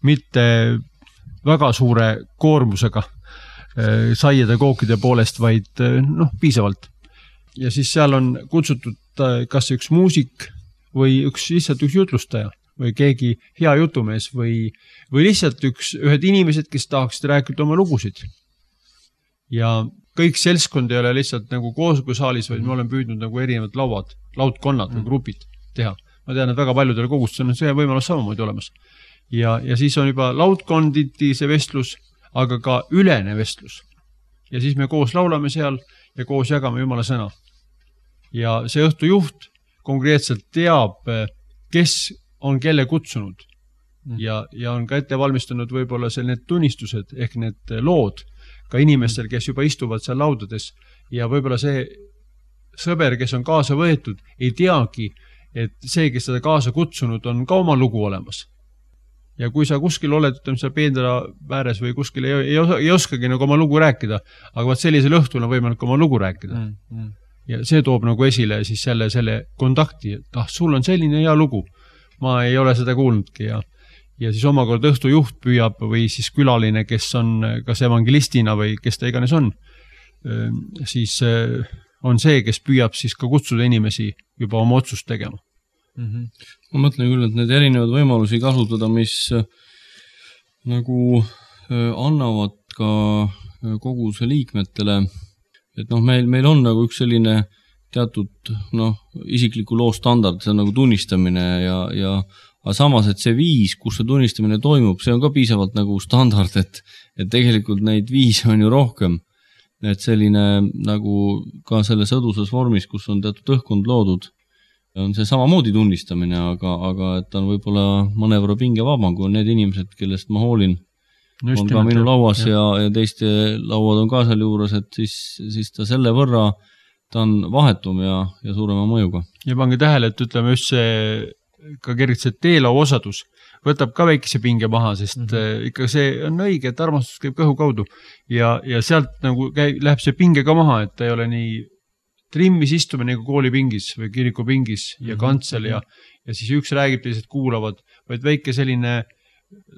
mitte väga suure koormusega saiede kookide poolest, vaid noh, piisavalt. Ja siis seal on kutsutud kas üks muusik või üks lihtsalt üks jutlustaja või keegi hea jutumees või, või lihtsalt üks, ühed inimesed, kes tahaksid rääkida oma lugusid. Ja kõik seltskond ei ole lihtsalt nagu koosolekusaalis, vaid me oleme püüdnud nagu erinevad lauad, laudkonnad või grupid teha. Ma tean, et väga paljudel kogustusel on see võimalus samamoodi olemas. Ja, ja siis on juba laudkonditi see vestlus, aga ka ülene vestlus. Ja siis me koos laulame seal ja koos jagame Jumala sõna. Ja see õhtu juht konkreetselt teab, kes on kelle kutsunud ja, ja on ka ette valmistanud võib-olla seal need tunnistused ehk need lood ka inimestel, kes juba istuvad seal laudades ja võib-olla see sõber, kes on kaasa võetud, ei teagi, et see, kes seda kaasa kutsunud, on ka oma lugu olemas. Ja kui sa kuskil oled, ütleme seal peendera vääres või kuskil ei, ei, ei oskagi nagu oma lugu rääkida, aga vaat sellisel õhtul on võimalik oma lugu rääkida. Mm, mm. Ja see toob nagu esile siis selle, selle kontakti, et ah, sul on selline hea lugu. Ma ei ole seda kuulnudki ja, ja siis omakord õhtu juht püüab või siis külaline, kes on kas evangelistina või kes ta iganes on, siis on see, kes püüab siis ka kutsuda inimesi juba oma otsust tegema. Mm-hmm. Ma mõtlen küll, et need erinevad võimalusi kasutada, mis nagu annavad ka koguduse liikmetele, et noh, meil, meil on nagu üks selline teatud noh, isikliku loo standard, see on nagu tunnistamine ja, ja aga samas, et see viis, kus see tunnistamine toimub, see on ka piisavalt nagu standard, et, et tegelikult neid viise on ju rohkem. Et selline nagu ka selles õduses vormis, kus on teatud õhkkond loodud, on see samamoodi tunnistamine, aga, aga et ta on võib-olla mõnevõrra pinge vabam, kui on need inimesed, kellest ma hoolin, Just on ka minu lauas ja, ja teiste lauad on ka seal juures, et siis, siis ta selle võrra ta on vahetum ja, ja suurema mõjuga. Ja pange tähele, et ütleme just see ka kergelt see teelau osadus võtab ka väikese pinge maha, sest mm-hmm. ikka see on õige, et armastus käib kõhu kaudu ja, ja sealt nagu käib, läheb see pinge ka maha, et ta ei ole nii trimmis istumine nagu koolipingis või kirikupingis ja mm-hmm. kantsel ja, ja siis üks räägib, teised kuulavad, vaid väike selline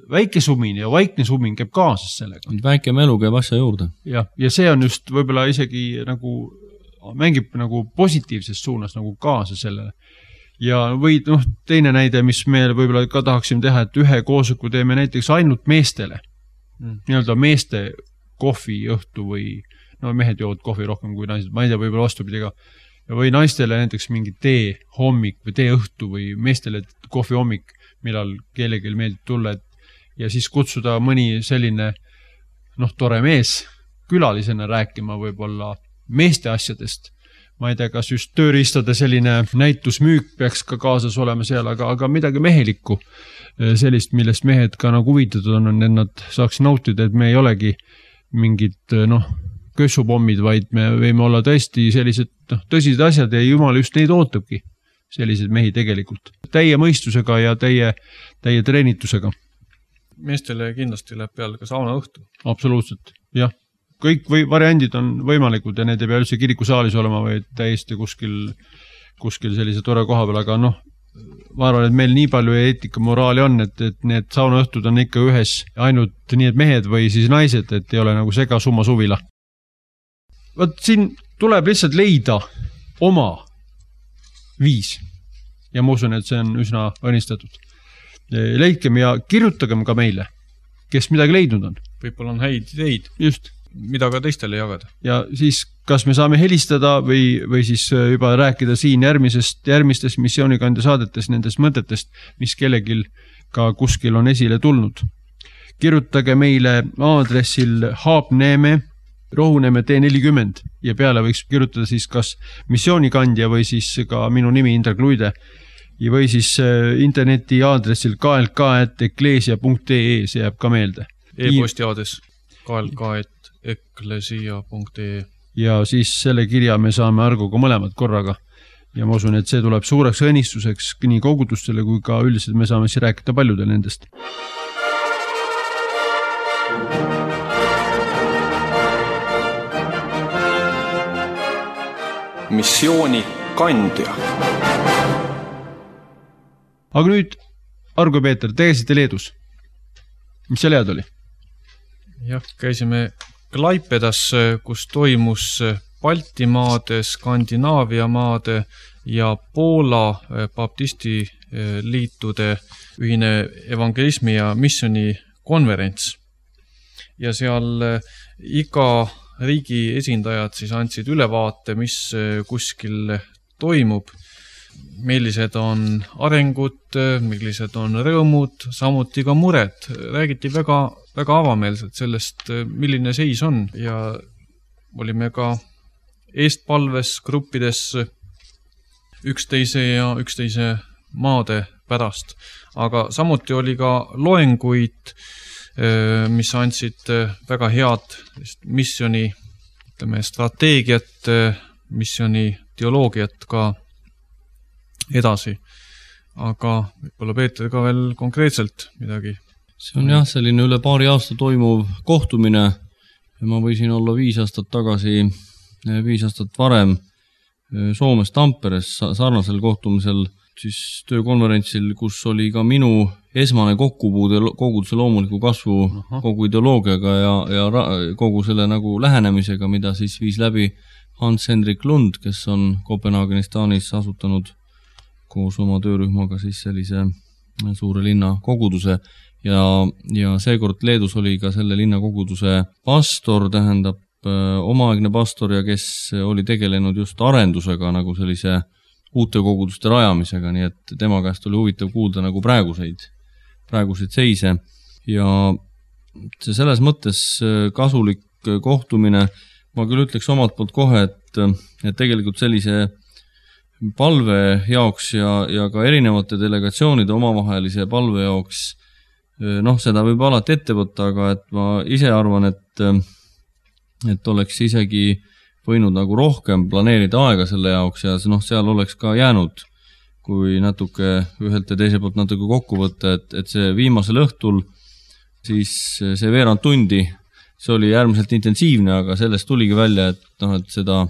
väike sumin ja vaikne sumin käib kaasas sellega. Väike melu käib asja juurde. Ja, ja see on just võib-olla isegi nagu mängib nagu positiivses suunas nagu kaasa sellele. Ja või noh, teine näide, mis me võib-olla ka tahaksime teha, et ühe koosoleku teeme näiteks ainult meestele. Mm. Nii-öelda meeste kohvi õhtu või no mehed joovad kohvi rohkem kui naised, ma ei tea, võib-olla vastupidiga. Või naistele näiteks mingi tee hommik või tee õhtu või meestele kohvi hommik, millal kellelgi meeldib tulla. Ja siis kutsuda mõni selline noh, tore mees külalisena rääkima võib-olla meeste asjadest. Ma ei tea, kas just tööriistade selline näitusmüük peaks ka kaasas olema seal, aga, aga midagi mehelikku, sellist, millest mehed ka nagu huvitatud on, et nad saaks nautida, et me ei olegi mingid noh, kössupommid, vaid me võime olla tõesti sellised noh, tõsised asjad ja Jumal just neid ootabki, sellised mehi tegelikult. Täie mõistusega ja täie, täie treenitusega. Meestele kindlasti läheb peale ka sauna õhtu. Absoluutselt, jah. Kõik või variandid on võimalikud ja need ei pea üldse kirikusaalis olema või täiesti kuskil, kuskil sellise tore koha peal, aga noh, ma arvan, et meil nii palju eetika moraali on, et, et need saunaõhtud on ikka ühes ainult nii, et mehed või siis naised, et ei ole nagu sega summa suvila. Võt siin tuleb lihtsalt leida oma viis ja ma usun, et see on üsna õnnistatud. Leidkem ja kirjutagem ka meile, kes midagi leidnud on. Võib-olla on häid ideid. Just. Mida ka teistele jagada. Ja siis kas me saame helistada või, või siis juba rääkida siin järgmisest, järgmistes missioonikandja saadetes nendest mõtetest, mis kellegil ka kuskil on esile tulnud. Kirjutage meile aadressil Haapneeme, Rohuneeme T nelikümmend ja peale võiks kirjutada siis kas missioonikandja või siis ka minu nimi Indrek Luide ja või siis interneti aadressil k l k at eklesia punkt e, see jääb ka meelde. E-posti aadres k l k at eklesia punkt e ja siis selle kirja me saame Argoga mõlemad korraga ja ma usun, et see tuleb suureks õnnistuseks nii kogudustele kui ka üldiselt me saame siis rääkida paljudel nendest. Missiooni kandja. Aga nüüd, Argo Peeter, tegesite Leedus. Mis seal head oli? Jah, käisime Klaipedas, kus toimus Baltimaade, Skandinaavia maade ja Poola baptisti liitude ühine evangelismi ja missioni konverents. Ja seal iga riigi esindajad siis andsid ülevaate, mis kuskil toimub, millised on arengud, millised on rõõmud, samuti ka mured. Räägiti väga, väga avameelselt sellest, milline seis on ja olime ka eestpalves gruppides üksteise ja üksteise maade pärast. Aga samuti oli ka loenguid, mis andsid väga head missioni, ütleme, strateegiat, missioni teoloogiat ka edasi. Aga võib-olla Peeter ka veel konkreetselt midagi. See on jah, selline üle paari aasta toimuv kohtumine. Ma võisin olla viis aastat tagasi, viis aastat varem Soomes Tamperes sarnasel kohtumisel, siis töökonverentsil, kus oli ka minu esmane kokkupuude koguduse loomuliku kasvu Aha. kogu ideoloogiaga ja, ja kogu selle nagu lähenemisega, mida siis viis läbi Hans-Henrik Lund, kes on Kopenhaagenis Taanis asutanud koos oma töörühmaga siis sellise suure linna koguduse ja, ja seekord Leedus oli ka selle linna koguduse pastor, tähendab omaaegne pastor ja kes oli tegelenud just arendusega nagu sellise uute koguduste rajamisega, nii et tema käest oli huvitav kuulda nagu praeguseid, praeguseid seise ja see selles mõttes kasulik kohtumine, ma küll ütleks omalt poolt kohe, et, et tegelikult sellise palve jaoks ja, ja ka erinevate delegatsioonide omavahelise palve jaoks, noh, seda võib alati ette võtta, aga et ma ise arvan, et, et oleks isegi võinud nagu rohkem planeerida aega selle jaoks ja noh, seal oleks ka jäänud, kui natuke ühelt ja teise poolt natuke kokku võtta, et, et see viimasel õhtul siis see veerand tundi, see oli äärmiselt intensiivne, aga sellest tuligi välja, et, noh, et seda,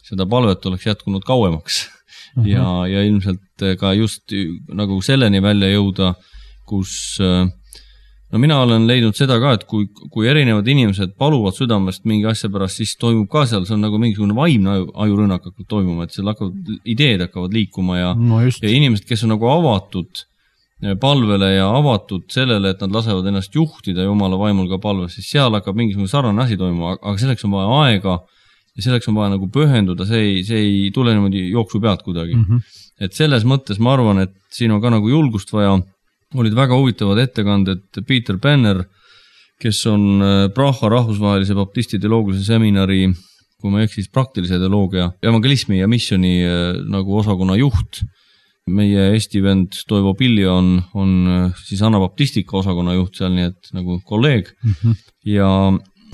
seda palvet oleks jätkunud kauemaks. Uh-huh. Ja, ja ilmselt ka just nagu selleni välja jõuda, kus no mina olen leidnud seda ka, et kui, kui erinevad inimesed paluvad südamest mingi asja pärast, siis toimub ka seal, see on nagu mingisugune vaimne aju, ajurõnnak hakkab toimuma, et seal hakkavad, ideed hakkavad liikuma ja, no ja inimesed, kes on nagu avatud palvele ja avatud sellele, et nad lasevad ennast juhtida Jumala vaimul ka palve, siis seal hakkab mingisugune sarnane asi toimuma, aga selleks on vaja aega ja selleks on vaja nagu pühenduda, see ei, see ei tule niimoodi jooksu pealt kuidagi. Mm-hmm. Et selles mõttes ma arvan, et siin on ka nagu julgust vaja, olid väga huvitavad ettekanded Peter Benner, kes on Praha rahvusvahelise baptisti teoloogilise seminari, kui ma eksis, praktilise teoloogia, evangelismi ja missioni nagu osakonna juht. Meie Eesti vend Toivo Pilja on, on siis anabaptistika osakonna juht seal, nii et nagu kolleeg. Mm-hmm. Ja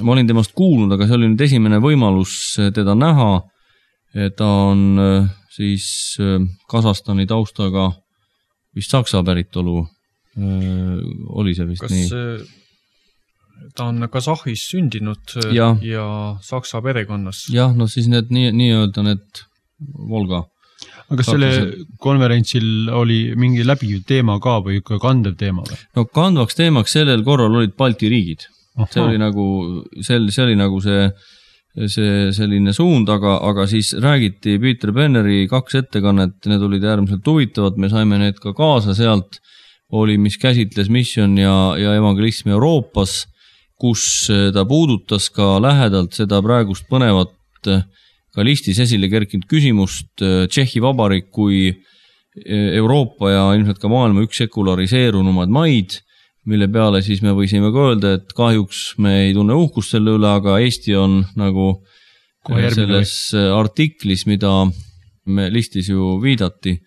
ma olin temast kuulnud, aga see oli nüüd esimene võimalus teda näha. Ta on siis Kasahstani taustaga vist Saksa päritolu. Oli see vist Kas nii? Ta on Kasahis sündinud ja, ja Saksa perekonnas. Jah, no siis need nii, nii öelda need Volga. Aga selle konverentsil oli mingi läbiv teema ka või ikka kandev teema? Või? No kandvaks teemaks sellel korral olid Balti riigid. Aha. See oli nagu, see, see oli nagu see, see selline suund, aga, aga siis räägiti Peter Benneri kaks ettekannet, need olid äärmiselt huvitavad, me saime need ka kaasa sealt, oli, mis käsitles mission ja, ja evangelismi Euroopas, kus ta puudutas ka lähedalt seda praegust põnevat ka listis esile kerkinud küsimust Tšehhi Vabariik kui Euroopa ja ilmselt ka maailma üks sekulariseerunumad maid, mille peale siis me võisime ka öelda, et kahjuks me ei tunne uhkust selle üle, aga Eesti on nagu selles artiklis, mida me listis ju viidati,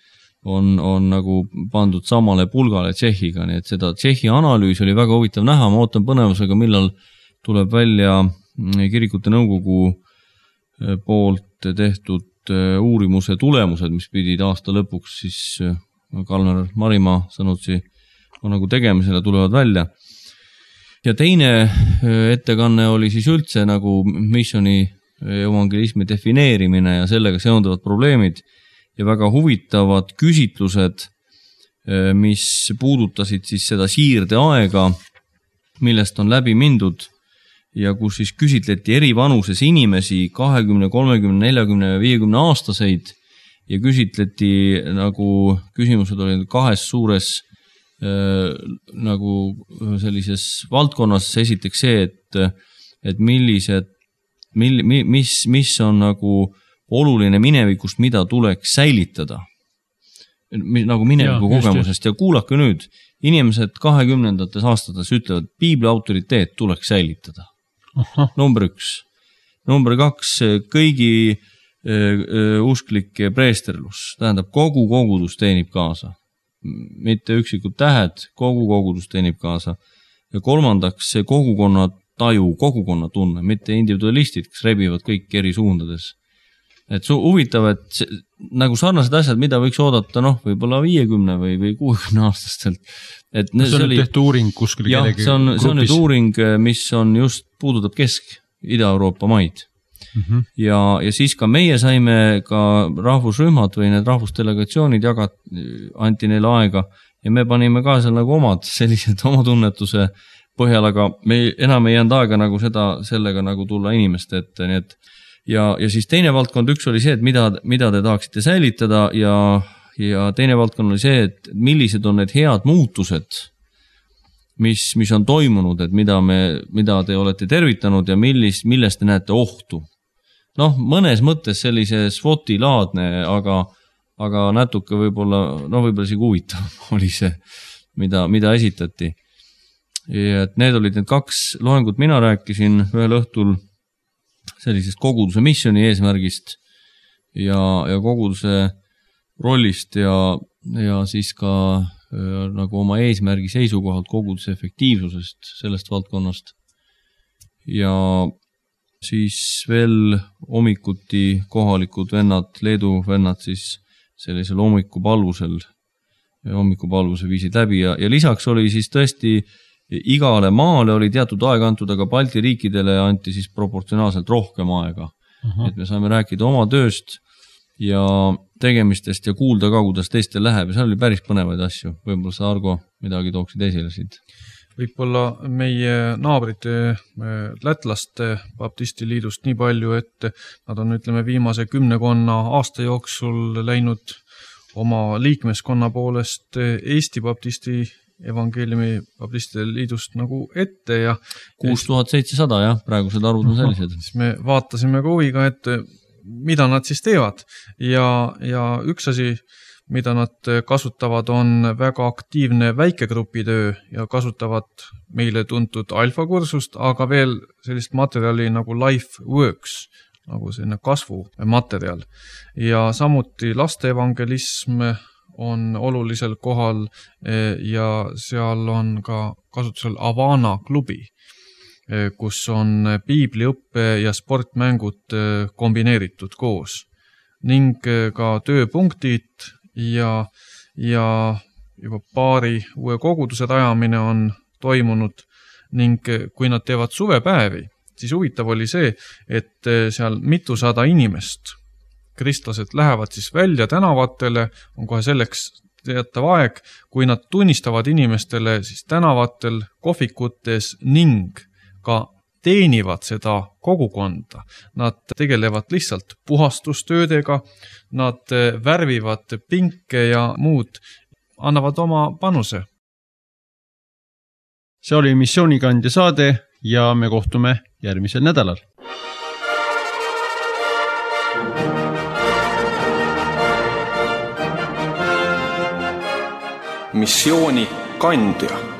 on, on nagu pandud samale pulgale Tšehhiga, nii et seda Tšehhi analüüs oli väga huvitav näha, ma ootan põnevusega, millal tuleb välja kirikute nõukogu poolt tehtud uurimuse tulemused, mis pidid aasta lõpuks siis Kalmer Marimaa sõnutsi on nagu tegemisele tulevad välja. Ja teine ettekanne oli siis üldse nagu missioni evangelismi defineerimine ja sellega seonduvad probleemid ja väga huvitavad küsitlused, mis puudutasid siis seda siirde aega, millest on läbi mindud ja kus siis küsitleti eri vanuses inimesi kahekümne, kolmekümne, neljakümne ja viiekümne aastaseid ja küsitleti nagu küsimused olid kahes suures äh, nagu sellises valdkonnas. Esiteks see, et, et millised, mil, mis, mis on nagu oluline minevikust, mida tuleks säilitada. Nagu mineviku ja, kogemusest ja kuulake nüüd, inimesed kahekümnendates aastates ütlevad, Piibli autoriteet tuleks säilitada. Aha. Number üks. Number kaks, kõigi äh, usklike preesterlus, tähendab kogu kogudus teenib kaasa. Mitte üksikud tähed, kogu kogudus teenib kaasa. Ja kolmandaks, see kogukonna taju, kogukonna tunne, mitte individualistid, kes rebivad kõik eri suundades. Et su huvitav, et see, nagu sarnased asjad, mida võiks oodata, noh, võib-olla viiekümne või, või kuuekümne aastastelt. Et see on oli, tehtud uuring kuskil jah, kellegi see on, grupis? See on nüüd uuring, mis on just puudutab Kesk- Ida-Euroopa maid. Mm-hmm. Ja, ja siis ka meie saime ka rahvusrühmad või need rahvusdelegatsioonid jagat, anti neile aega ja me panime ka seal nagu omad sellised oma tunnetuse põhjal, aga me enam ei jäänud aega nagu seda, sellega nagu tulla inimeste ette, nii et ja, ja siis teine valdkond üks oli see, et mida, mida te tahaksite säilitada ja, ja teine valdkond oli see, et millised on need head muutused, mis, mis on toimunud, et mida me, mida te olete tervitanud ja millis, millest te näete ohtu. Noh, mõnes mõttes sellise SWOT-i laadne, aga, aga natuke võib-olla, no võib-olla isegi huvitav oli see, mida, mida esitati. Ja et need olid need kaks loengut, mina rääkisin ühel õhtul sellisest koguduse missioni eesmärgist ja, ja koguduse rollist ja, ja siis ka äh, nagu oma eesmärgi seisukohalt koguduse efektiivsusest sellest valdkonnast. Ja siis veel hommikuti kohalikud vennad, Leedu vennad siis sellisel hommikupalvusel, hommikupalvuse viisid läbi ja, ja lisaks oli siis tõesti igale maale oli teatud aeg antud, aga Balti riikidele anti siis proportsionaalselt rohkem aega. Uh-huh. Et me saame rääkida oma tööst ja tegemistest ja kuulda ka, kuidas teistel läheb ja seal oli päris põnevaid asju. Võib-olla sa, Argo, midagi tooksid esile siit? Võib-olla meie naabrite lätlaste baptisti liidust nii palju, et nad on, ütleme, viimase kümnekonna aasta jooksul läinud oma liikmeskonna poolest Eesti baptisti evangeeliumi baptistide liidust nagu ette ja kuus tuhat seitsesada, jah, praegused arvud on sellised. Siis me vaatasime ka huviga, et mida nad siis teevad ja, ja üks asi, mida nad kasutavad, on väga aktiivne väikegrupitöö ja kasutavad meile tuntud alfakursust, aga veel sellist materjali nagu Life Works, nagu selline kasvumaterjal. Ja samuti laste evangelism on olulisel kohal ja seal on ka kasutusel Avana klubi, kus on piibliõppe ja sportmängud kombineeritud koos ning ka tööpunktid ja, ja juba paari uue koguduse rajamine on toimunud ning kui nad teevad suvepäevi, siis huvitav oli see, et seal mitusada inimest kristlased lähevad siis välja tänavatele, on kohe selleks teatav aeg, kui nad tunnistavad inimestele siis tänavatel, kohvikutes ning ka teenivad seda kogukonda. Nad tegelevad lihtsalt puhastustöödega, nad värvivad pinke ja muud, annavad oma panuse. See oli Missioonikandja saade ja me kohtume järgmisel nädalal. Missioonikandja.